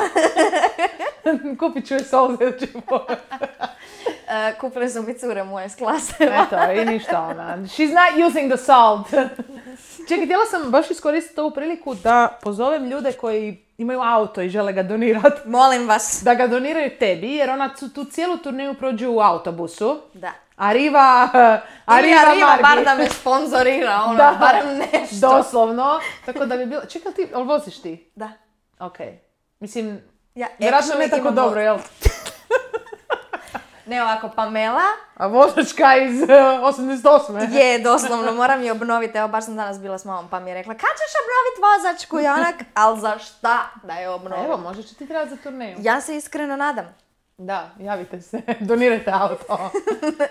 S1: Kupit ću je sol sljedeći put.
S2: Kupili su mi cure moje s klase.
S1: Eto, i ništa ona. She's not using the salt. Čekaj, htjela sam baš iskoristiti ovu priliku da pozovem ljude koji imaju auto i žele ga donirati.
S2: Molim vas.
S1: Da ga doniraju tebi, jer ona tu cijelu turneju prođe u autobusu.
S2: Da.
S1: Arriva
S2: bar da me sponzorira, barem nešto.
S1: Doslovno. Tako da bi bilo... Čekaj, ali voziš ti?
S2: Da.
S1: Ok. Mislim, Vjerojatno ne tako dobro, jel?
S2: Ne ovako, Pamela.
S1: A vozačka iz 88.
S2: Je, doslovno, moram je obnoviti. Evo, baš sam danas bila s mamom, pa mi je rekla, kad ćeš obnoviti vozačku? I onak, ali za šta da je obnovim?
S1: Evo, možda će ti trebati za turneju.
S2: Ja se iskreno nadam.
S1: Da, javite se, donirajte auto.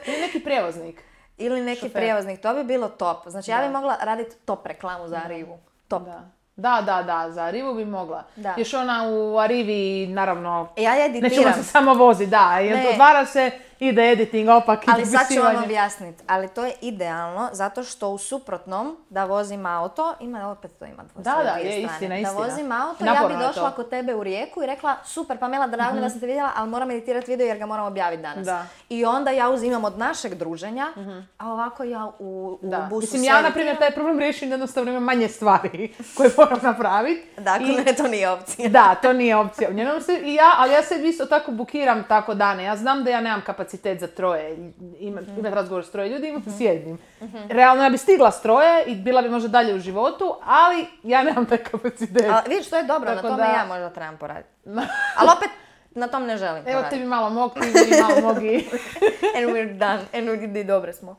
S1: Ili neki prijevoznik.
S2: Ili neki prijevoznik, to bi bilo top. Znači, ja bi mogla raditi top reklamu za Arrivu. Top.
S1: Da, za Arrivu bi mogla. Da. Još ona u Arrivi, naravno,
S2: ja editiram.
S1: Nećemo se samo vozi, da. Otvara se, ide editing, opak,
S2: ali sad ću vam objasniti. Ali to je idealno, zato što u suprotnom, da vozim auto, opet to ima dvoje strane.
S1: Da, je istina.
S2: Da vozim auto, ja bi došla kod tebe u Rijeku i rekla, super, Pamela, drago da sam te vidjela, ali moram editirati video jer ga moram objaviti danas. Da. I onda ja uzimam od našeg druženja, a ovako ja u busu
S1: mislim, ja, na primjer, taj problem riješim jednostavno imam manje stvari koje moram napraviti.
S2: Dakle, to nije opcija.
S1: Da, to nije opcija. Ali ja se isto tako bukiram tako dane. Ja znam da ja nemam kapacitet za troje. Imati razgovor s troje ljudi, imam s jednim. Realno ja bi stigla s troje i bila bi možda dalje u životu, ali ja nemam taj kapacitet.
S2: Ali vidiš, to je dobro, tako na tome ja možda trebam poraditi. Ali opet, na tom ne želim poraditi.
S1: Evo tebi malo mog, ti malo mogi.
S2: And we're done. And we're dobre smo.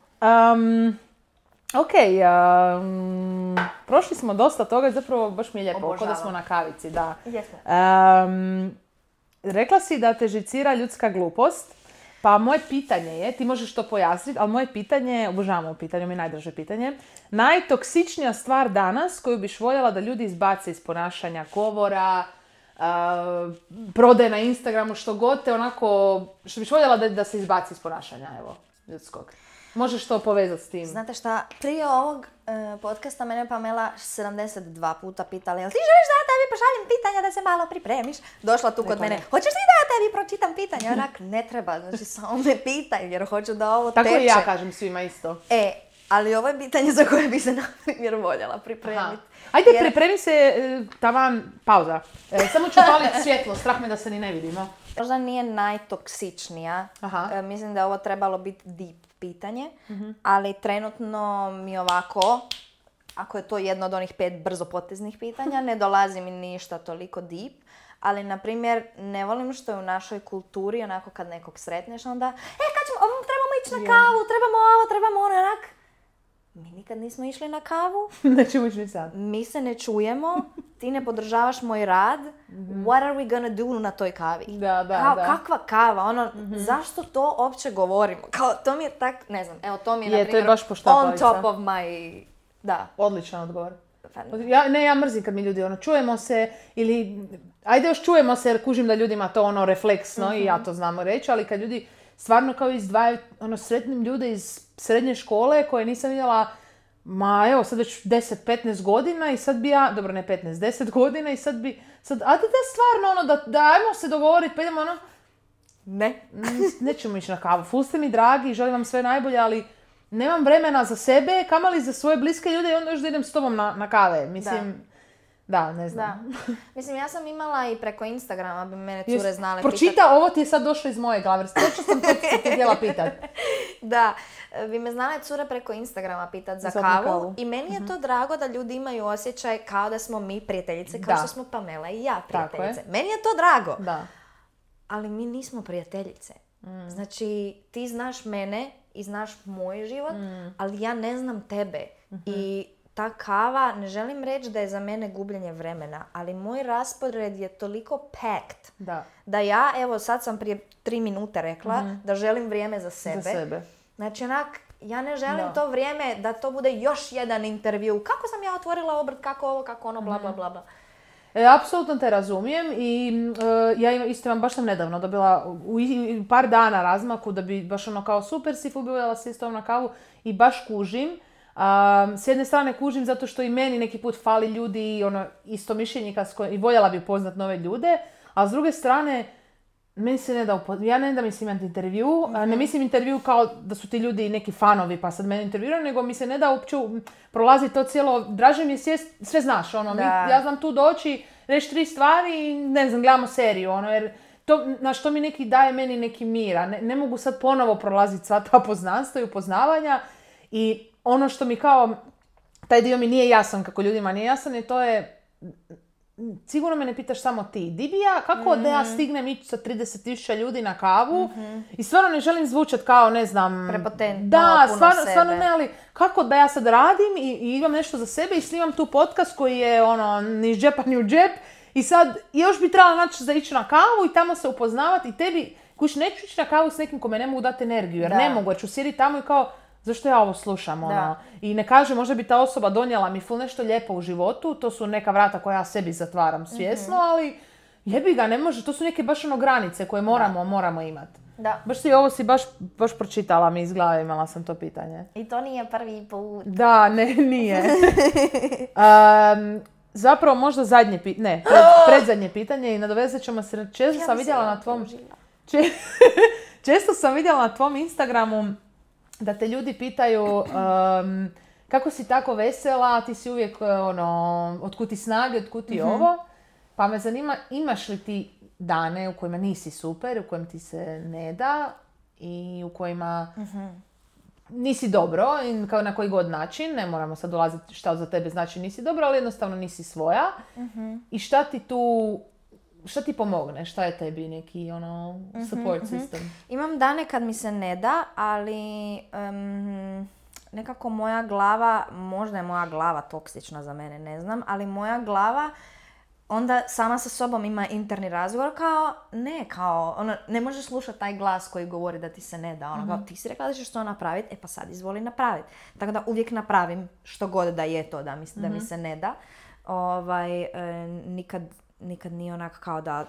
S1: Prošli smo dosta toga i zapravo baš mi je lijepo, kao da smo na kavici, da.
S2: Jesmo.
S1: Rekla si da te žicira ljudska glupost, pa moje pitanje je, ti možeš to pojasniti, ali moje pitanje, obožavam ovo pitanje, mi je najdraže pitanje, najtoksičnija stvar danas koju biš voljela da ljudi izbace iz ponašanja, govora, prodaje na Instagramu, što god te onako, što biš voljela da se izbaci iz ponašanja, evo, ljudskog. Možeš to povezati s tim.
S2: Znate šta, prije ovog podcasta mene Pamela 72 puta pitala, jel ti želiš da ja tebi pošaljem pitanja da se malo pripremiš? Došla tu kod mene, hoćeš ti da ja tebi pročitam pitanja? Onak, ne treba, znači samo me pitaj jer hoću da ovo teče.
S1: Tako i ja kažem svima isto.
S2: Ali ovo je pitanje za koje bi se, na primjer, voljela pripremiti.
S1: Ajde, pripremi se, tavan, pauza. Samo ću paliti svjetlo, strah me da se ni ne vidimo.
S2: Možda nije najtoksičnija. Mislim da je ovo trebalo biti deep pitanje, ali trenutno mi ovako, ako je to jedno od onih 5 brzopoteznih pitanja, ne dolazi mi ništa toliko deep. Ali, na primjer, ne volim što je u našoj kulturi, onako kad nekog sretneš, onda kad ćemo, trebamo ići na kavu, trebamo ovo, trebamo ono, onak. Mi nikad nismo išli na kavu.
S1: Nećemo ići ni sad.
S2: Mi se ne čujemo, ti ne podržavaš moj rad. What are we gonna do na toj kavi?
S1: Da.
S2: Kakva kava? Zašto to uopće govorimo? To mi je tak, ne znam, evo to mi je, na primjer, on top of my, da.
S1: Odličan odgovor. Ja mrzim kad mi ljudi čujemo se ili, ajde još čujemo se jer kužim da ljudima to refleksno i ja to znam reći, ali kad ljudi stvarno kao izdvajaju, sretnim ljude iz srednje škole koje nisam vidjela, sad već 10-15 godina i sad bi ja, dobro ne 15, 10 godina i sad bi, da stvarno da ajmo se dogovoriti, pa idemo
S2: Ne.
S1: Nećemo ići na kavu, ful ste mi dragi, želim vam sve najbolje, ali nemam vremena za sebe, kamali za svoje bliske ljude i onda još da idem s tobom na kave, mislim. Da, ne znam.
S2: Da. Mislim, ja sam imala i preko Instagrama, bi mene cure znale pitati.
S1: Pročita, ovo ti je sad došlo iz moje glave, točno sam to ti htjela pitati.
S2: Da, bi me znale cure preko Instagrama pitati za kavu i meni je to drago da ljudi imaju osjećaj kao da smo mi prijateljice, kao što smo Pamela i ja prijateljice. Meni je to drago.
S1: Da.
S2: Ali mi nismo prijateljice. Znači, ti znaš mene i znaš moj život, ali ja ne znam tebe. I ta kava, ne želim reći da je za mene gubljenje vremena, ali moj raspored je toliko packed da ja, evo sad sam prije 3 minute rekla da želim vrijeme za sebe. Znači onak, ja ne želim to vrijeme da to bude još jedan intervju. Kako sam ja otvorila obrt, kako ovo, kako ono, bla bla bla bla.
S1: Apsolutno te razumijem i ja isto vam baš sam nedavno dobila u par dana razmaku da bi baš kao super si ubila se isto na kavu i baš kužim. S jedne strane kužim zato što i meni neki put fali ljudi i istomišljenika i voljela bi upoznat nove ljude, a s druge strane meni se ne da ja ne da mislim imati intervju, ne mislim intervju kao da su ti ljudi neki fanovi pa sad mene intervjuiraju, nego mi se ne da uopće prolaziti to cijelo, draže mi je sjest, sve znaš, ja znam tu doći, reći 3 stvari i ne znam, gledamo seriju, jer to mi neki daje meni neki mira, ne mogu sad ponovo prolaziti sva ta poznanstva i upoznavanja i ono što mi kao, taj dio mi nije jasan kako ljudima nije jasan i to je sigurno me ne pitaš samo ti. Di bi ja, kako da ja stignem ići sa 30.000 ljudi na kavu i stvarno ne želim zvučati kao, ne znam...
S2: Prepotentno,
S1: da,
S2: puno
S1: stvarno ne, ali kako da ja sad radim i imam nešto za sebe i snimam tu podcast koji je ni iz džepa ni u džep i sad još bi trebala naći za ići na kavu i tamo se upoznavati i tebi, kuć, neću ići na kavu s nekim kome ne mogu dati energiju, jer ne mogu, jer ću sjediti tamo i kao, zašto ja ovo slušam, I ne kaže, možda bi ta osoba donijela mi ful nešto lijepo u životu, to su neka vrata koja ja sebi zatvaram svjesno, ali jebi ga, ne može, to su neke baš granice koje moramo imati.
S2: Da.
S1: Baš si baš pročitala mi iz glave, imala sam to pitanje.
S2: I to nije prvi put.
S1: Da, nije. Zapravo možda predzadnje pitanje i nadovezat ćemo se, često sam vidjela na tvom Instagramu da te ljudi pitaju kako si tako vesela, ti si uvijek otkud ti snage, otkud ti ovo. Pa me zanima, imaš li ti dane u kojima nisi super, u kojima ti se ne da i u kojima nisi dobro, i na koji god način, ne moramo sad dolaziti šta za tebe znači nisi dobro, ali jednostavno nisi svoja. I šta ti pomogne? Šta je tebi neki support system?
S2: Imam dane kad mi se ne da, ali nekako moja glava, možda je moja glava toksična za mene, ne znam, ali moja glava onda sama sa sobom ima interni razgovor ne možeš slušati taj glas koji govori da ti se ne da. Kao, ti si rekla da ćeš to napraviti, pa sad izvoli napraviti. Tako da uvijek napravim što god da je to da mi se ne da. Nikad nije onak kao da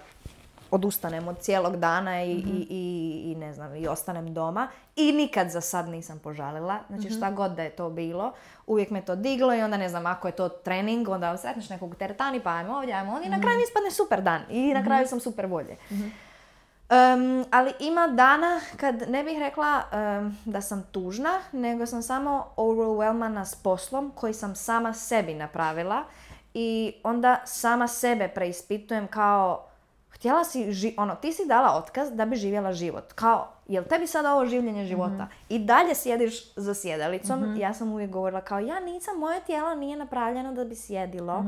S2: odustanem od cijelog dana i ne znam, i ostanem doma. I nikad za sad nisam požalila. Znači šta god da je to bilo, uvijek me to diglo i onda ne znam, ako je to trening, onda sretneš nekog teretani, pa ajmo ovdje. I na kraju mi ispadne super dan. I na kraju sam super volje. Ali ima dana kad ne bih rekla da sam tužna, nego sam samo overwhelmana s poslom koji sam sama sebi napravila. I onda sama sebe preispitujem kao, htjela si, ti si dala otkaz da bi živjela život. Kao, jel tebi sada ovo življenje života? I dalje sjediš za sjedalicom. Ja sam uvijek govorila kao, moje tijelo nije napravljeno da bi sjedilo.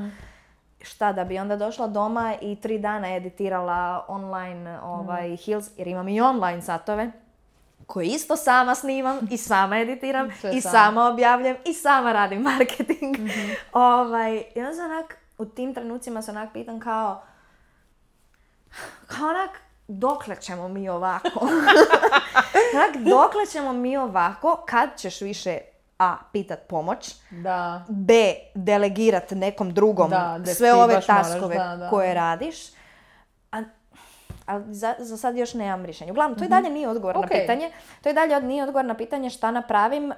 S2: Šta, da bi onda došla doma i 3 dana editirala online Heels, jer imam i online satove koje isto sama snimam i sama editiram i sama objavljam i sama radim marketing. I onda sam u tim trenucima se pitam kao dokle ćemo mi ovako? Dokle ćemo mi ovako kad ćeš više A. pitat pomoć, B. delegirat nekom drugom sve ove taskove koje radiš. Ali za sad još nemam rješenje. Uglavnom, to i dalje nije odgovor na pitanje. To i dalje nije odgovor na pitanje šta napravim.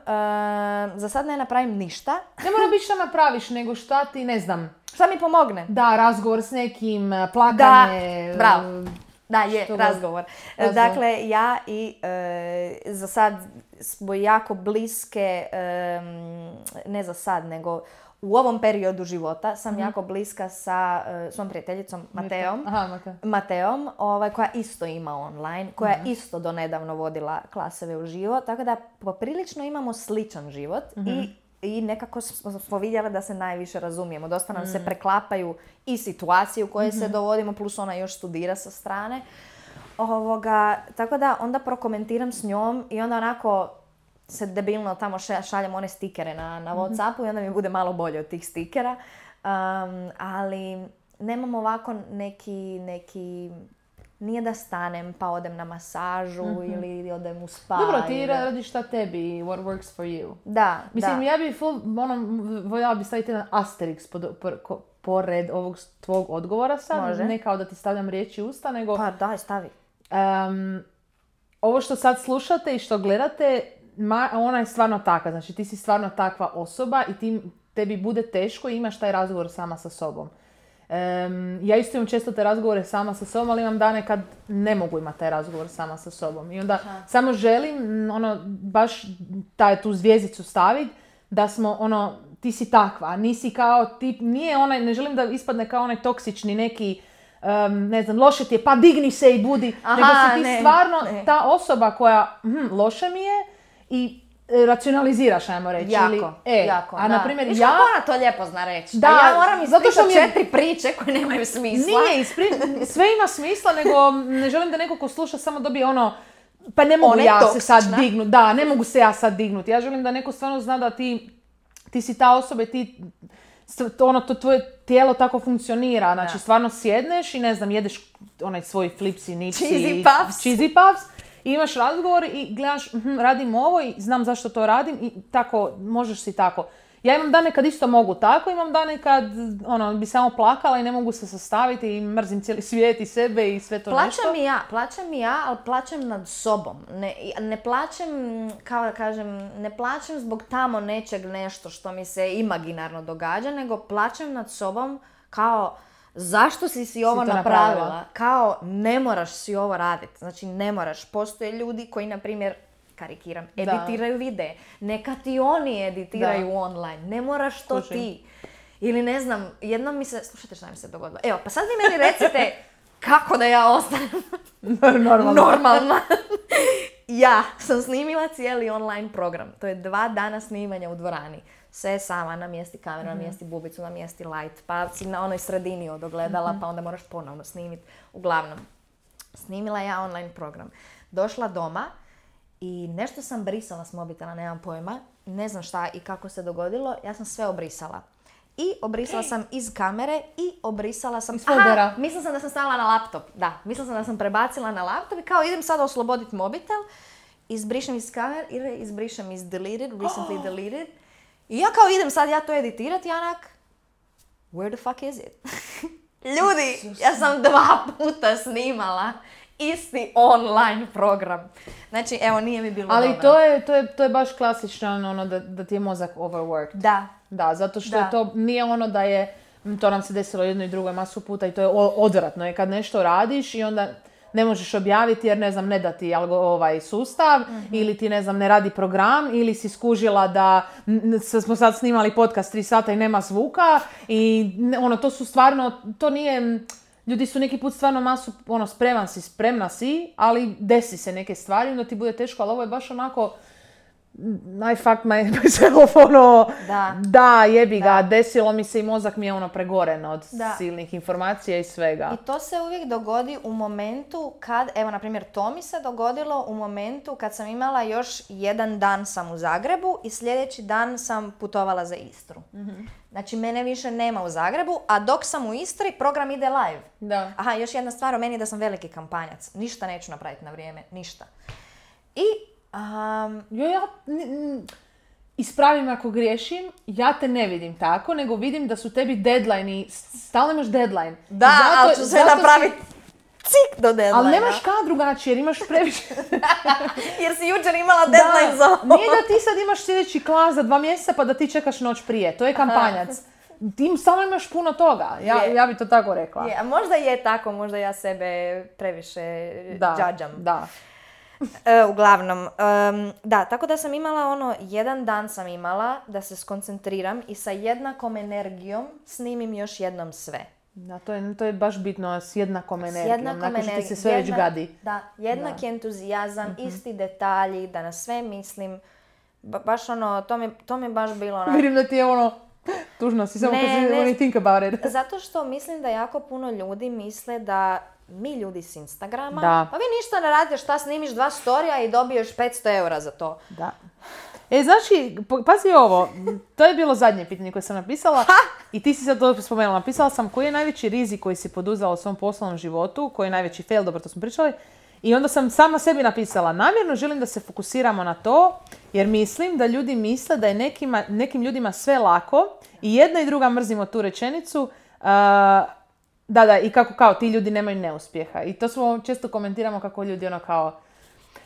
S2: Za sad ne napravim ništa.
S1: Ne mora biti šta napraviš, nego šta ti, ne znam.
S2: Šta mi pomogne?
S1: Da, razgovor s nekim, plakanje.
S2: Da, bravo. Da, je, razgovor. Dakle, ja i za sad smo jako bliske, ne za sad, nego u ovom periodu života sam jako bliska sa svom prijateljicom Mateom, koja isto ima online, koja je isto donedavno vodila klaseve u živo, tako da poprilično imamo sličan život i nekako smo vidjeli da se najviše razumijemo. Dosta nam se preklapaju i situacije u koje se dovodimo, plus ona još studira sa strane. Tako da onda prokomentiram s njom i onda onako se debilno tamo šaljem one stikere na WhatsAppu i onda mi bude malo bolje od tih stikera. Ali nemam ovako neki nije da stanem pa odem na masažu ili odem u spa.
S1: Dobro, ti radiš šta tebi, what works for you.
S2: Da,
S1: mislim, ja bi voljela bi staviti jedan asterix pored ovog tvog odgovora sad. Može. Ne kao da ti stavljam riječi u usta, nego...
S2: Pa daj, stavi.
S1: Ovo što sad slušate i što gledate, ona je stvarno takva. Znači, ti si stvarno takva osoba i tebi bude teško i imaš taj razgovor sama sa sobom. Ja isto imam često te razgovore sama sa sobom, ali imam dane kad ne mogu imati taj razgovor sama sa sobom. I onda samo želim baš tu zvjezdicu staviti da smo ti si takva, nisi kao tip, ne želim da ispadne kao onaj toksični neki, ne znam, loše ti je, pa digni se i budi, nego si ti stvarno ta osoba koja, loše mi je i racionaliziraš, ajmo reći.
S2: Jako, jako.
S1: A na primjer
S2: Viš
S1: ja...
S2: kako ona to lijepo zna reći?
S1: Da,
S2: a ja moram
S1: zato što
S2: ispričati 4 priče koje nemaju smisla.
S1: Nije, sve ima smisla, nego ne želim da neko ko sluša samo dobije ono, pa ne mogu se sad dignuti. Da, ne mogu se ja sad dignuti. Ja želim da neko stvarno zna da ti si ta osoba i to tvoje tijelo tako funkcionira. Znači, stvarno sjedneš i ne znam, jedeš onaj svoj flipsi, nipsi, cheesy puffs. I imaš razgovor i gledaš, radim ovo i znam zašto to radim i tako, možeš si tako. Ja imam dane kad isto mogu tako, imam dane kad bi samo plakala i ne mogu se sastaviti i mrzim cijeli svijet i sebe i sve to nešto.
S2: Plačem i ja, ali plačem nad sobom. Ne plačem, kao da kažem, ne plačem zbog tamo nečeg nešto što mi se imaginarno događa, nego plačem nad sobom kao zašto si ovo napravila? Kao ne moraš si ovo raditi. Znači ne moraš. Postoje ljudi koji, na primjer, karikiram, editiraju videe. Neka ti oni editiraju online. Ne moraš to ti. Ili ne znam, jednom mi se... Slušajte šta mi se dogodilo. Evo, pa sad vi meni recite kako da ja ostanem normalna. Ja sam snimila cijeli online program. To je 2 dana snimanja u dvorani. Sve sama, namjesti kameru, namjesti bubicu, namjesti light, pa si na onoj sredini od ogledala, pa onda moraš ponovno snimiti. Uglavnom, snimila ja online program. Došla doma i nešto sam brisala s mobitela, nemam pojma, ne znam šta i kako se dogodilo, ja sam sve obrisala. I obrisala sam iz kamere i obrisala sam... Mislila sam da sam stavila na laptop. Da, mislila sam da sam prebacila na laptop i kao idem sada osloboditi mobitel, izbrišem iz kamere, izbrišem iz deleted, recently deleted. I ja kao idem sad ja to editirati, Janak, where the fuck is it? Ljudi, ja sam 2 puta snimala isti online program. Znači, evo, nije mi bilo dobro.
S1: Ali to je baš klasično ono da ti je mozak overworked. Da, zato što je to nije ono da je, to nam se desilo jednoj i drugoj masu puta i to je odvratno je kad nešto radiš i onda ne možeš objaviti jer ne da ti sustav ili ti ne radi program ili si skužila da smo sad snimali podcast 3 sata i nema zvuka i to su stvarno, to nije, ljudi su neki put stvarno masu, spremna si, ali desi se neke stvari, onda ti bude teško, ali ovo je baš onako, I fucked myself, da, jebi ga, desilo mi se i mozak mi je pregoren od silnih informacija i svega.
S2: I to se uvijek dogodi u momentu kad, evo na primjer to mi se dogodilo u momentu kad sam imala još 1 dan sam u Zagrebu i sljedeći dan sam putovala za Istru. Znači mene više nema u Zagrebu, a dok sam u Istri program ide live.
S1: Da.
S2: Aha, još jedna stvar o meni je da sam veliki kampanjac. Ništa neću napraviti na vrijeme, ništa. I
S1: ispravim ako griješim, ja te ne vidim tako, nego vidim da su tebi deadline i stalno imaš deadline.
S2: Da, ali ću sve napraviti cik do deadline.
S1: Ali nemaš kad drugačije, jer imaš previše.
S2: Jer si jučer imala deadline za ovo.
S1: Nije da ti sad imaš sljedeći klas za 2 mjeseca pa da ti čekaš noć prije, to je kampanjac. Ti stalno imaš puno toga, ja bi to tako rekla.
S2: A možda je tako, možda ja sebe previše džadžam.
S1: Da.
S2: Uglavnom, da, tako da sam imala 1 dan sam imala da se skoncentriram i sa jednakom energijom snimim još jednom sve.
S1: Da, to je baš bitno, s jednakom energijom, nakon što ti se sve već gadi.
S2: Da, jednaki entuzijazam, isti detalji, da na sve mislim, baš to mi je baš bilo
S1: Vidim da ti je tužno si, samo kad si think about it.
S2: Zato što mislim da jako puno ljudi misle da mi ljudi s Instagrama, pa vi ništa ne radite, šta snimiš 2 storija i dobiješ 500 eura za to.
S1: Da. Znači, pazi ovo, to je bilo zadnje pitanje koje sam napisala i ti si sad to spomenula. Napisala sam koji je najveći rizik koji si poduzela u svom poslovnom životu, koji je najveći fail, dobro to smo pričali. I onda sam sama sebi napisala, namjerno želim da se fokusiramo na to, jer mislim da ljudi misle da je nekim ljudima sve lako i jedna i druga mrzimo tu rečenicu, i kako kao ti ljudi nemaju neuspjeha. I to smo često komentiramo kako ljudi kao,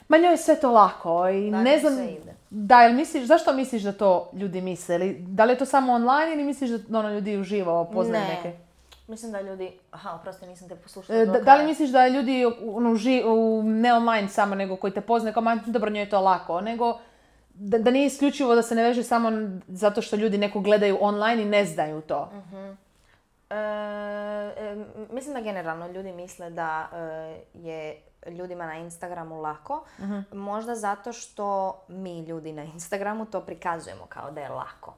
S1: ma njoj je sve to lako i ne znam, zašto misliš da to ljudi misle? Da li je to samo online ili misliš da ljudi uživo poznaju neke?
S2: Mislim da ljudi... oprosti, nisam te poslušala.
S1: Da li misliš da ljudi ne online samo, nego koji te poznaju, kao dobro, njoj je to lako, nego da nije isključivo da se ne veže samo zato što ljudi neko gledaju online i ne znaju to?
S2: Mislim da generalno ljudi misle da je ljudima na Instagramu lako. Možda zato što mi ljudi na Instagramu to prikazujemo kao da je lako.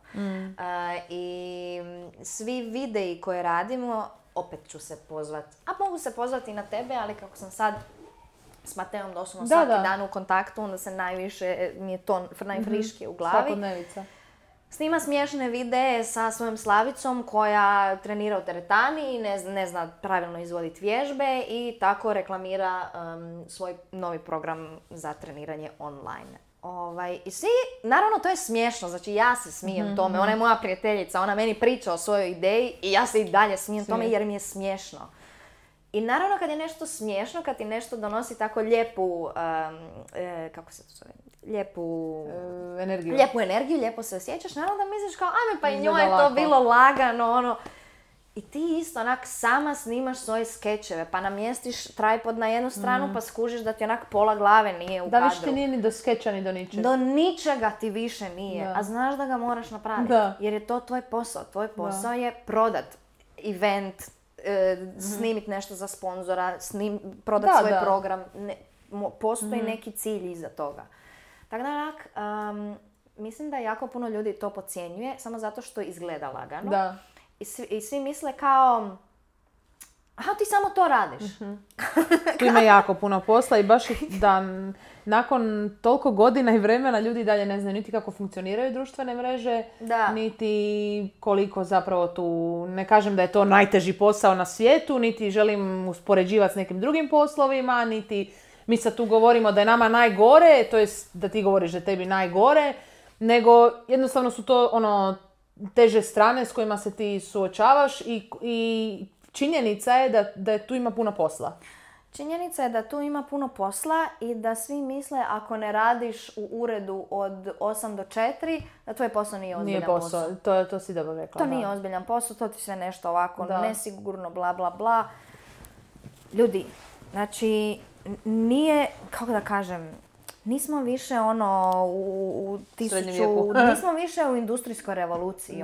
S2: I svi videi koje radimo, opet ću se pozvati, a mogu se pozvati i na tebe, ali kako sam sad s Mateom doslovno svaki dan u kontaktu, onda se najviše, mi je to najfriškije u glavi.
S1: Svakodnevica.
S2: Snima smiješne videe sa svojom Slavicom koja trenira u teretani i ne zna pravilno izvoditi vježbe i tako reklamira svoj novi program za treniranje online. I svi, naravno to je smiješno, znači ja se smijem tome, ona je moja prijateljica, ona meni priča o svojoj ideji i ja se i dalje smijem tome jer mi je smiješno. I naravno kad je nešto smiješno, kad ti nešto donosi tako lijepu, kako se to zove, lijepu energiju, lijepo se osjećaš, naravno da misliš kao, ajme pa i njoj je to bilo lagano, I ti isto onak sama snimaš svoje skečeve, pa namjestiš tripod na jednu stranu pa skužiš da ti onak pola glave nije u kadru.
S1: Da više ti nije ni do skeča ni do ničega.
S2: Do ničega ti više nije, a znaš da ga moraš napraviti. Jer je to tvoj posao. Tvoj posao je prodat event, snimiti nešto za sponzora, prodati svoj program. Postoji neki cilj iza toga. Tako da onak, mislim da jako puno ljudi to podcjenjuje samo zato što izgleda lagano.
S1: Da.
S2: I svi misle kao, aha, ti samo to radiš.
S1: Tu ima jako puno posla i baš da nakon toliko godina i vremena ljudi dalje ne znaju niti kako funkcioniraju društvene mreže, niti koliko zapravo tu, ne kažem da je to najteži posao na svijetu, niti želim uspoređivati s nekim drugim poslovima, niti mi sad tu govorimo da je nama najgore, to jest da ti govoriš da je tebi najgore, nego jednostavno su to teže strane s kojima se ti suočavaš i činjenica je da tu ima puno posla.
S2: Činjenica je da tu ima puno posla i da svi misle ako ne radiš u uredu od 8 do 4, da tvoj posao nije ozbiljan posao.
S1: To si dobro rekla.
S2: To nije ozbiljan posao, to ti sve nešto ovako nesigurno, bla bla bla. Ljudi, znači, nije, kako da kažem, nismo više nismo više u industrijskoj revoluciji,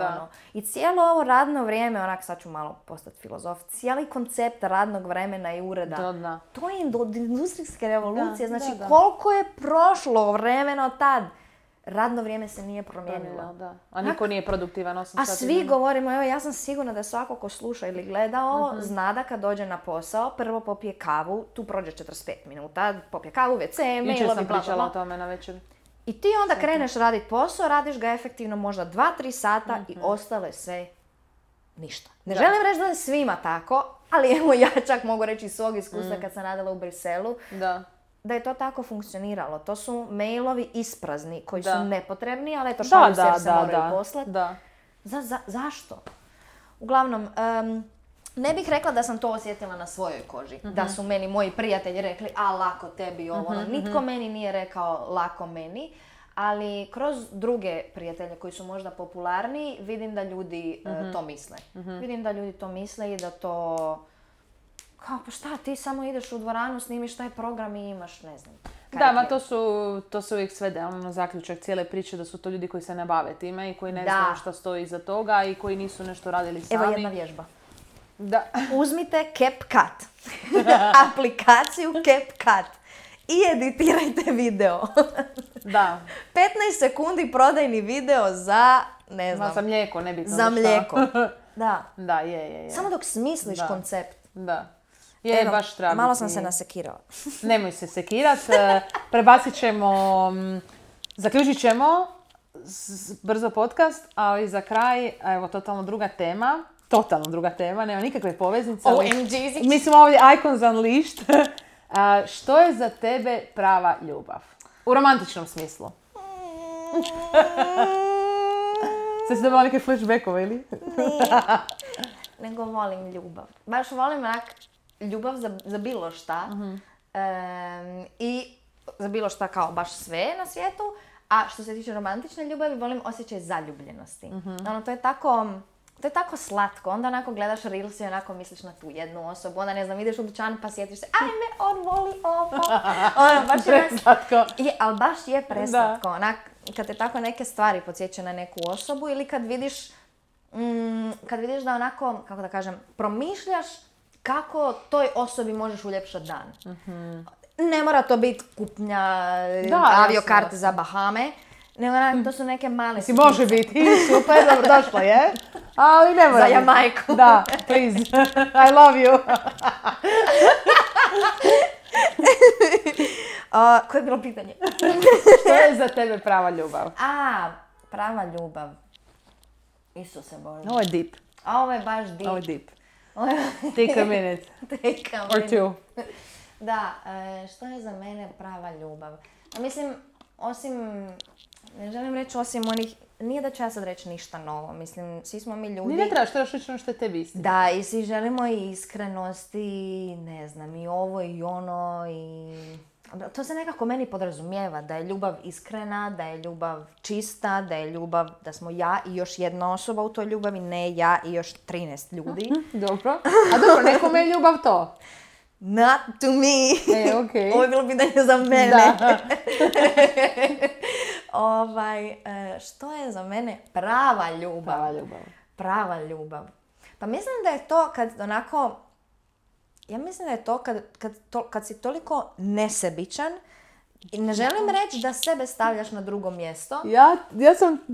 S2: I cijelo ovo radno vrijeme, onak sad ću malo postati filozof, cijeli koncept radnog vremena i ureda, to je od industrijske revolucije, koliko je prošlo vremena od tad. Radno vrijeme se nije promijenilo.
S1: A niko nije produktivan 8 sati.
S2: A svi govorimo, evo ja sam sigurna da svako ko sluša ili gleda ovo, zna da kad dođe na posao, prvo popije kavu, tu prođe 45 minuta, popije kavu, WC, mailovi,
S1: Jučer sam pričala o tome na večer.
S2: I ti onda kreneš raditi posao, radiš ga efektivno možda 2-3 sata i ostale sve ništa. Ne želim reći da je svima tako, ali evo ja čak mogu reći iz svog iskustva kad sam radila u Briselu, da je to tako funkcioniralo. To su mailovi isprazni koji su nepotrebni, ali eto šalju se jer se moraju poslati. Zašto? Uglavnom, ne bih rekla da sam to osjetila na svojoj koži. Da su meni moji prijatelji rekli, a lako tebi ovo. Nitko meni nije rekao lako meni. Ali kroz druge prijatelje koji su možda popularniji, vidim da ljudi to misle. Vidim da ljudi to misle i da to... Kao, pa šta, ti samo ideš u dvoranu, snimiš taj program i imaš, ne znam.
S1: To se uvijek svede, zaključak cijele priče da su to ljudi koji se ne bave time i koji ne znaju šta stoji iza toga i koji nisu nešto radili sami.
S2: Evo jedna vježba. Uzmite CapCut. Aplikaciju CapCut. I editirajte video. 15 sekundi prodajni video za, ne znam.
S1: Za mlijeko, nebitno.
S2: Za mlijeko.
S1: Da, je.
S2: Samo dok smisliš koncept.
S1: Da. Je, baš treba
S2: malo sam se nasekirala.
S1: Nemoj se sekirat. Prebacit ćemo, zaključit ćemo brzo podcast, ali za kraj, evo, totalno druga tema, nema nikakve poveznice. Mi smo ovdje Icons Unleashed. Što je za tebe prava ljubav? U romantičnom smislu. Sad si dobila neke flashbackove, ili?
S2: Nego volim ljubav. Baš volim onak ljubav za bilo šta. I za bilo šta kao baš sve na svijetu. A što se tiče romantične ljubavi, volim osjećaj zaljubljenosti. To je tako slatko. Onda onako gledaš reels i onako misliš na tu jednu osobu. Onda ne znam, ideš u dućan pa sjetiš se, ajme, on voli ovo. Baš
S1: preslatko.
S2: Ali baš je preslatko. Onak, kad te tako neke stvari podsjeća na neku osobu ili kad vidiš kad vidiš da onako, kako da kažem, promišljaš kako toj osobi možeš uljepšati dan. Ne mora to biti kupnja aviokarte za Bahame, nego to su neke male sitnice.
S1: Može biti, super, dobro došla je, ali ne mora
S2: za Jamajku.
S1: Da, please, I love you.
S2: Koje je bilo pitanje?
S1: Što je za tebe prava ljubav?
S2: Prava ljubav. Isuse Bože.
S1: Ovo je deep.
S2: Ovo je baš deep.
S1: Ovo je deep. Take a minute. Or two.
S2: Da, što je za mene prava ljubav? Mislim, ne želim reći osim onih, nije da ću ja sad reći ništa novo, mislim, svi smo mi ljudi.
S1: Ne trebaš, trebaš reći ono što je tebi istina.
S2: Da, i svi želimo i iskrenost i ne znam, i ovo i ono i... To se nekako meni podrazumijeva, da je ljubav iskrena, da je ljubav čista, da je ljubav, da smo ja i još jedna osoba u toj ljubavi, ne ja i još 13 ljudi.
S1: Dobro. A dobro, nekome je ljubav to?
S2: Not to me.
S1: Okay.
S2: Ovo je bilo pitanje za mene.
S1: Da.
S2: Što je za mene prava ljubav? Prava ljubav. Pa mislim da je to kad onako... Ja mislim da je to kad si toliko nesebičan i ne želim reći da sebe stavljaš na drugo mjesto.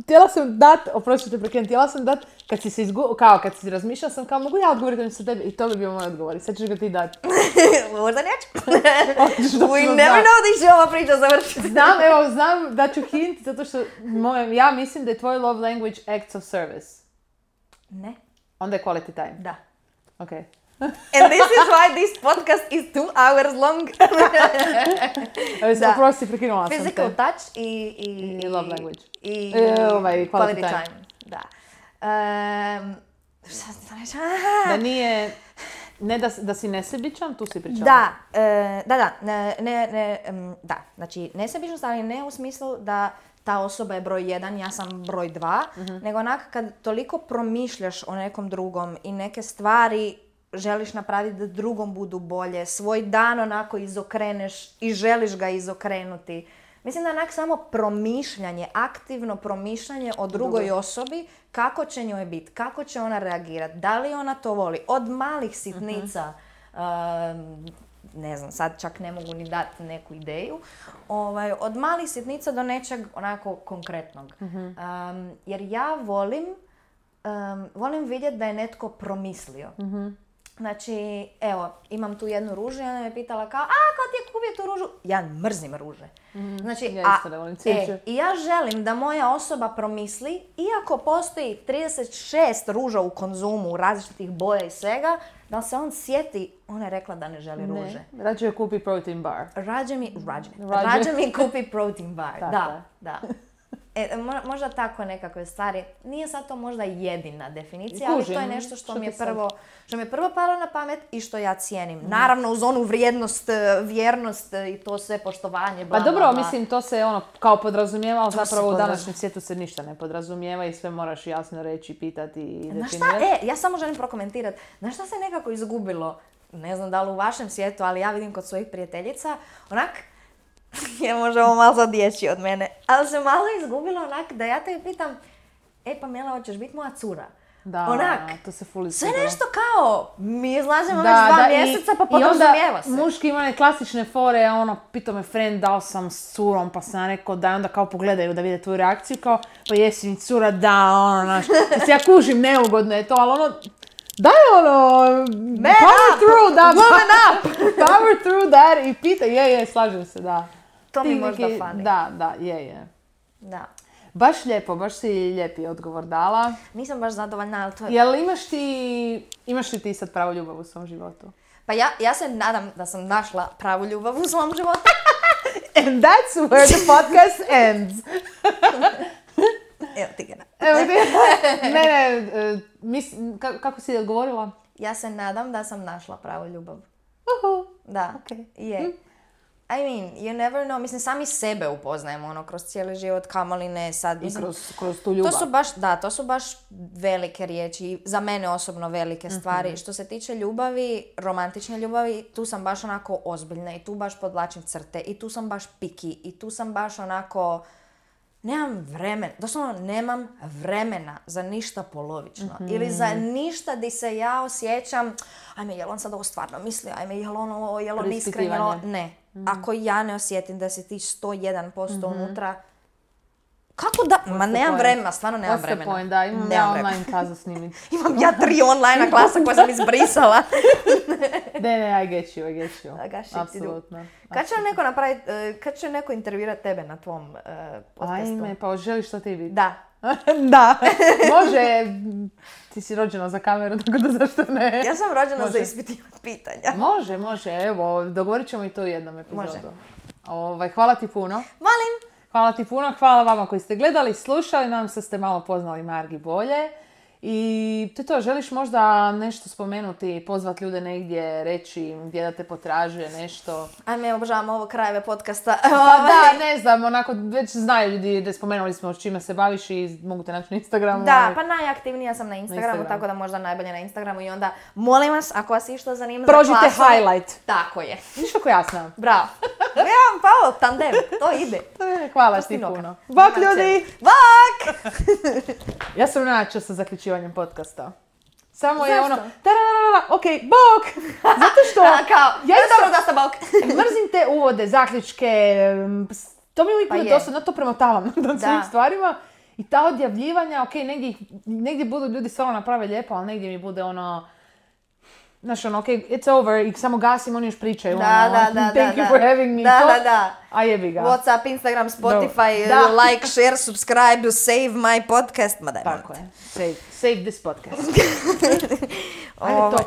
S1: Htjela sam dat, oprostite prekrenuti, htjela sam dat, kad si se kad si razmišljala sam kao mogu ja odgovoriti sa tebi i to bi bio moj odgovor i sad ćeš ga ti dati.
S2: Možda neću. We never know di će ova priča završiti.
S1: Znam da ću hint zato što ja mislim da je tvoj love language acts of service.
S2: Ne.
S1: Onda je quality time.
S2: Da.
S1: Okay.
S2: And this is why this podcast is 2 hours long.
S1: Oprosti, prekinula sam te.
S2: Physical touch i
S1: love language.
S2: I
S1: quality time.
S2: Da. Šta sam reći?
S1: Da nije... Ne da si nesebičan, tu si pričala.
S2: Da. Znači, nesebičnost, ali ne u smislu da ta osoba je broj 1, ja sam broj 2, nego onak kad toliko promišljaš o nekom drugom i neke stvari želiš napraviti da drugom budu bolje, svoj dan onako izokreneš i želiš ga izokrenuti. Mislim da onak samo promišljanje, aktivno promišljanje o drugoj osobi, kako će njoj biti, kako će ona reagirati, da li ona to voli. Od malih sitnica, ne znam, sad čak ne mogu ni dati neku ideju, od malih sitnica do nečeg onako konkretnog. Jer ja volim vidjeti da je netko promislio. Znači, evo, imam tu jednu ružu i ona me pitala kao, kao ti je kupio tu ružu? Ja mrzim ruže. Znači, i ja želim da moja osoba promisli, iako postoji 36 ruža u konzumu, različitih boja i svega, da se on sjeti, ona je rekla da ne želi ruže.
S1: Rađe je kupi protein bar.
S2: Rađe mi kupi protein bar, da. Možda tako nekakve stvari. Nije sad to možda jedina definicija, ali to je nešto što mi je prvo palo na pamet i što ja cijenim. Naravno uz onu vrijednost, vjernost i to sve poštovanje, bla,
S1: Pa dobro,
S2: bla, bla.
S1: mislim, to se kao podrazumijeva, ali zapravo u današnjem svijetu se ništa ne podrazumijeva i sve moraš jasno reći, pitati i definirati.
S2: Ja samo želim prokomentirati. Znaš šta se nekako izgubilo? Ne znam da li u vašem svijetu, ali ja vidim kod svojih prijateljica, onak, je možda ovo malo sad dječji od mene, ali se malo izgubilo onak da ja te pitam, Pamela, hoćeš biti moja cura?
S1: Da,
S2: onak,
S1: to se ful
S2: sve nešto kao, mi izlazimo već 2 mjeseca pa podrazumijeva se.
S1: I onda muški ima one klasične fore, pitao me friend da li sam s curom, pa sam rekao da, onda kao pogledaju da vide tvoju reakciju, kao, pa jesi mi cura, da, mislim, ja kužim, neugodno je to, ali daj power through, da, power through that i pita, slažem se, da.
S2: To mi možda fani.
S1: Da, je.
S2: Da.
S1: Baš lijepo, baš si lijepi odgovor dala.
S2: Nisam baš zadovoljna, ali to je...
S1: Jel imaš li ti sad pravu ljubav u svom životu?
S2: Pa ja se nadam da sam našla pravu ljubav u svom životu.
S1: And that's where the podcast ends.
S2: Evo ti ga.
S1: Kako si odgovorila?
S2: Ja se nadam da sam našla pravu ljubav. Da,
S1: je.
S2: I mean, you never know. Mislim, sami sebe upoznajemo kroz cijeli život, kamoli ne sad.
S1: Mislim, i kroz tu ljubav.
S2: To su baš velike riječi. Za mene osobno velike stvari. Što se tiče ljubavi, romantične ljubavi, tu sam baš onako ozbiljna i tu baš podvlačim crte i tu sam baš piki i tu sam baš onako... nemam vremena, doslovno nemam vremena za ništa polovično. Ili za ništa di se ja osjećam, ajme, jel on sad ovo stvarno misli, ajme, jel on iskren, ne. Ako ja ne osjetim da si ti 101% unutra, kako da? Ma nemam vremena, stvarno nemam vremena.
S1: Point, da, imam ja online klasu snimiti.
S2: Imam ja 3 online klasa koje sam izbrisala.
S1: Ne, I get you.
S2: Apsolutno. Kad će neko intervjuirati tebe na tvom podcastu?
S1: Ajme, pa želiš to ti biti?
S2: Da.
S1: Da, može, ti si rođena za kameru, tako da zašto ne?
S2: Ja sam rođena za ispitivati pitanja.
S1: Može, evo, dogovorit ćemo i to u jednom epizodu. Hvala ti puno.
S2: Molim.
S1: Hvala ti puno, hvala vama koji ste gledali, slušali, nadam se da ste malo poznali Margi bolje. I to, želiš možda nešto spomenuti, pozvati ljude negdje, reći gdje da te potražuje, nešto?
S2: Ajme, obožavam ovo krajeve podcasta.
S1: Pa da, ne znam, onako već znaju ljudi da spomenuli smo čime se baviš i mogu te naći na Instagramu.
S2: Da, pa najaktivnija sam na Instagramu, tako da možda najbolje na Instagramu i onda molim vas, ako vas išta zanima za
S1: prođite highlight.
S2: Tako je.
S1: Viš kako ja znam.
S2: Bravo. Ja, Paolo, tandem, to ide.
S1: Hvala ti puno. Bok ljudi!
S2: Bok!
S1: Ja sam načela sa zaključivanjem podcasta. Samo je ono, okej, bok! Zato što...
S2: ja dobro da sam bok.
S1: Mrzim te uvode, zaključke, to mi uvijek bude dosadno, to premotavam nad svim stvarima. I ta odjavljivanja, negdje budu ljudi stvarno naprave lijepo, ali negdje mi bude ono... Znaš, it's over, i samo gasim, oni još pričaju, thank you for having me, a jebi ga.
S2: WhatsApp, Instagram, Spotify, like, share, subscribe, save my podcast, ma daj.
S1: Tako je, save this podcast. Ajde, top.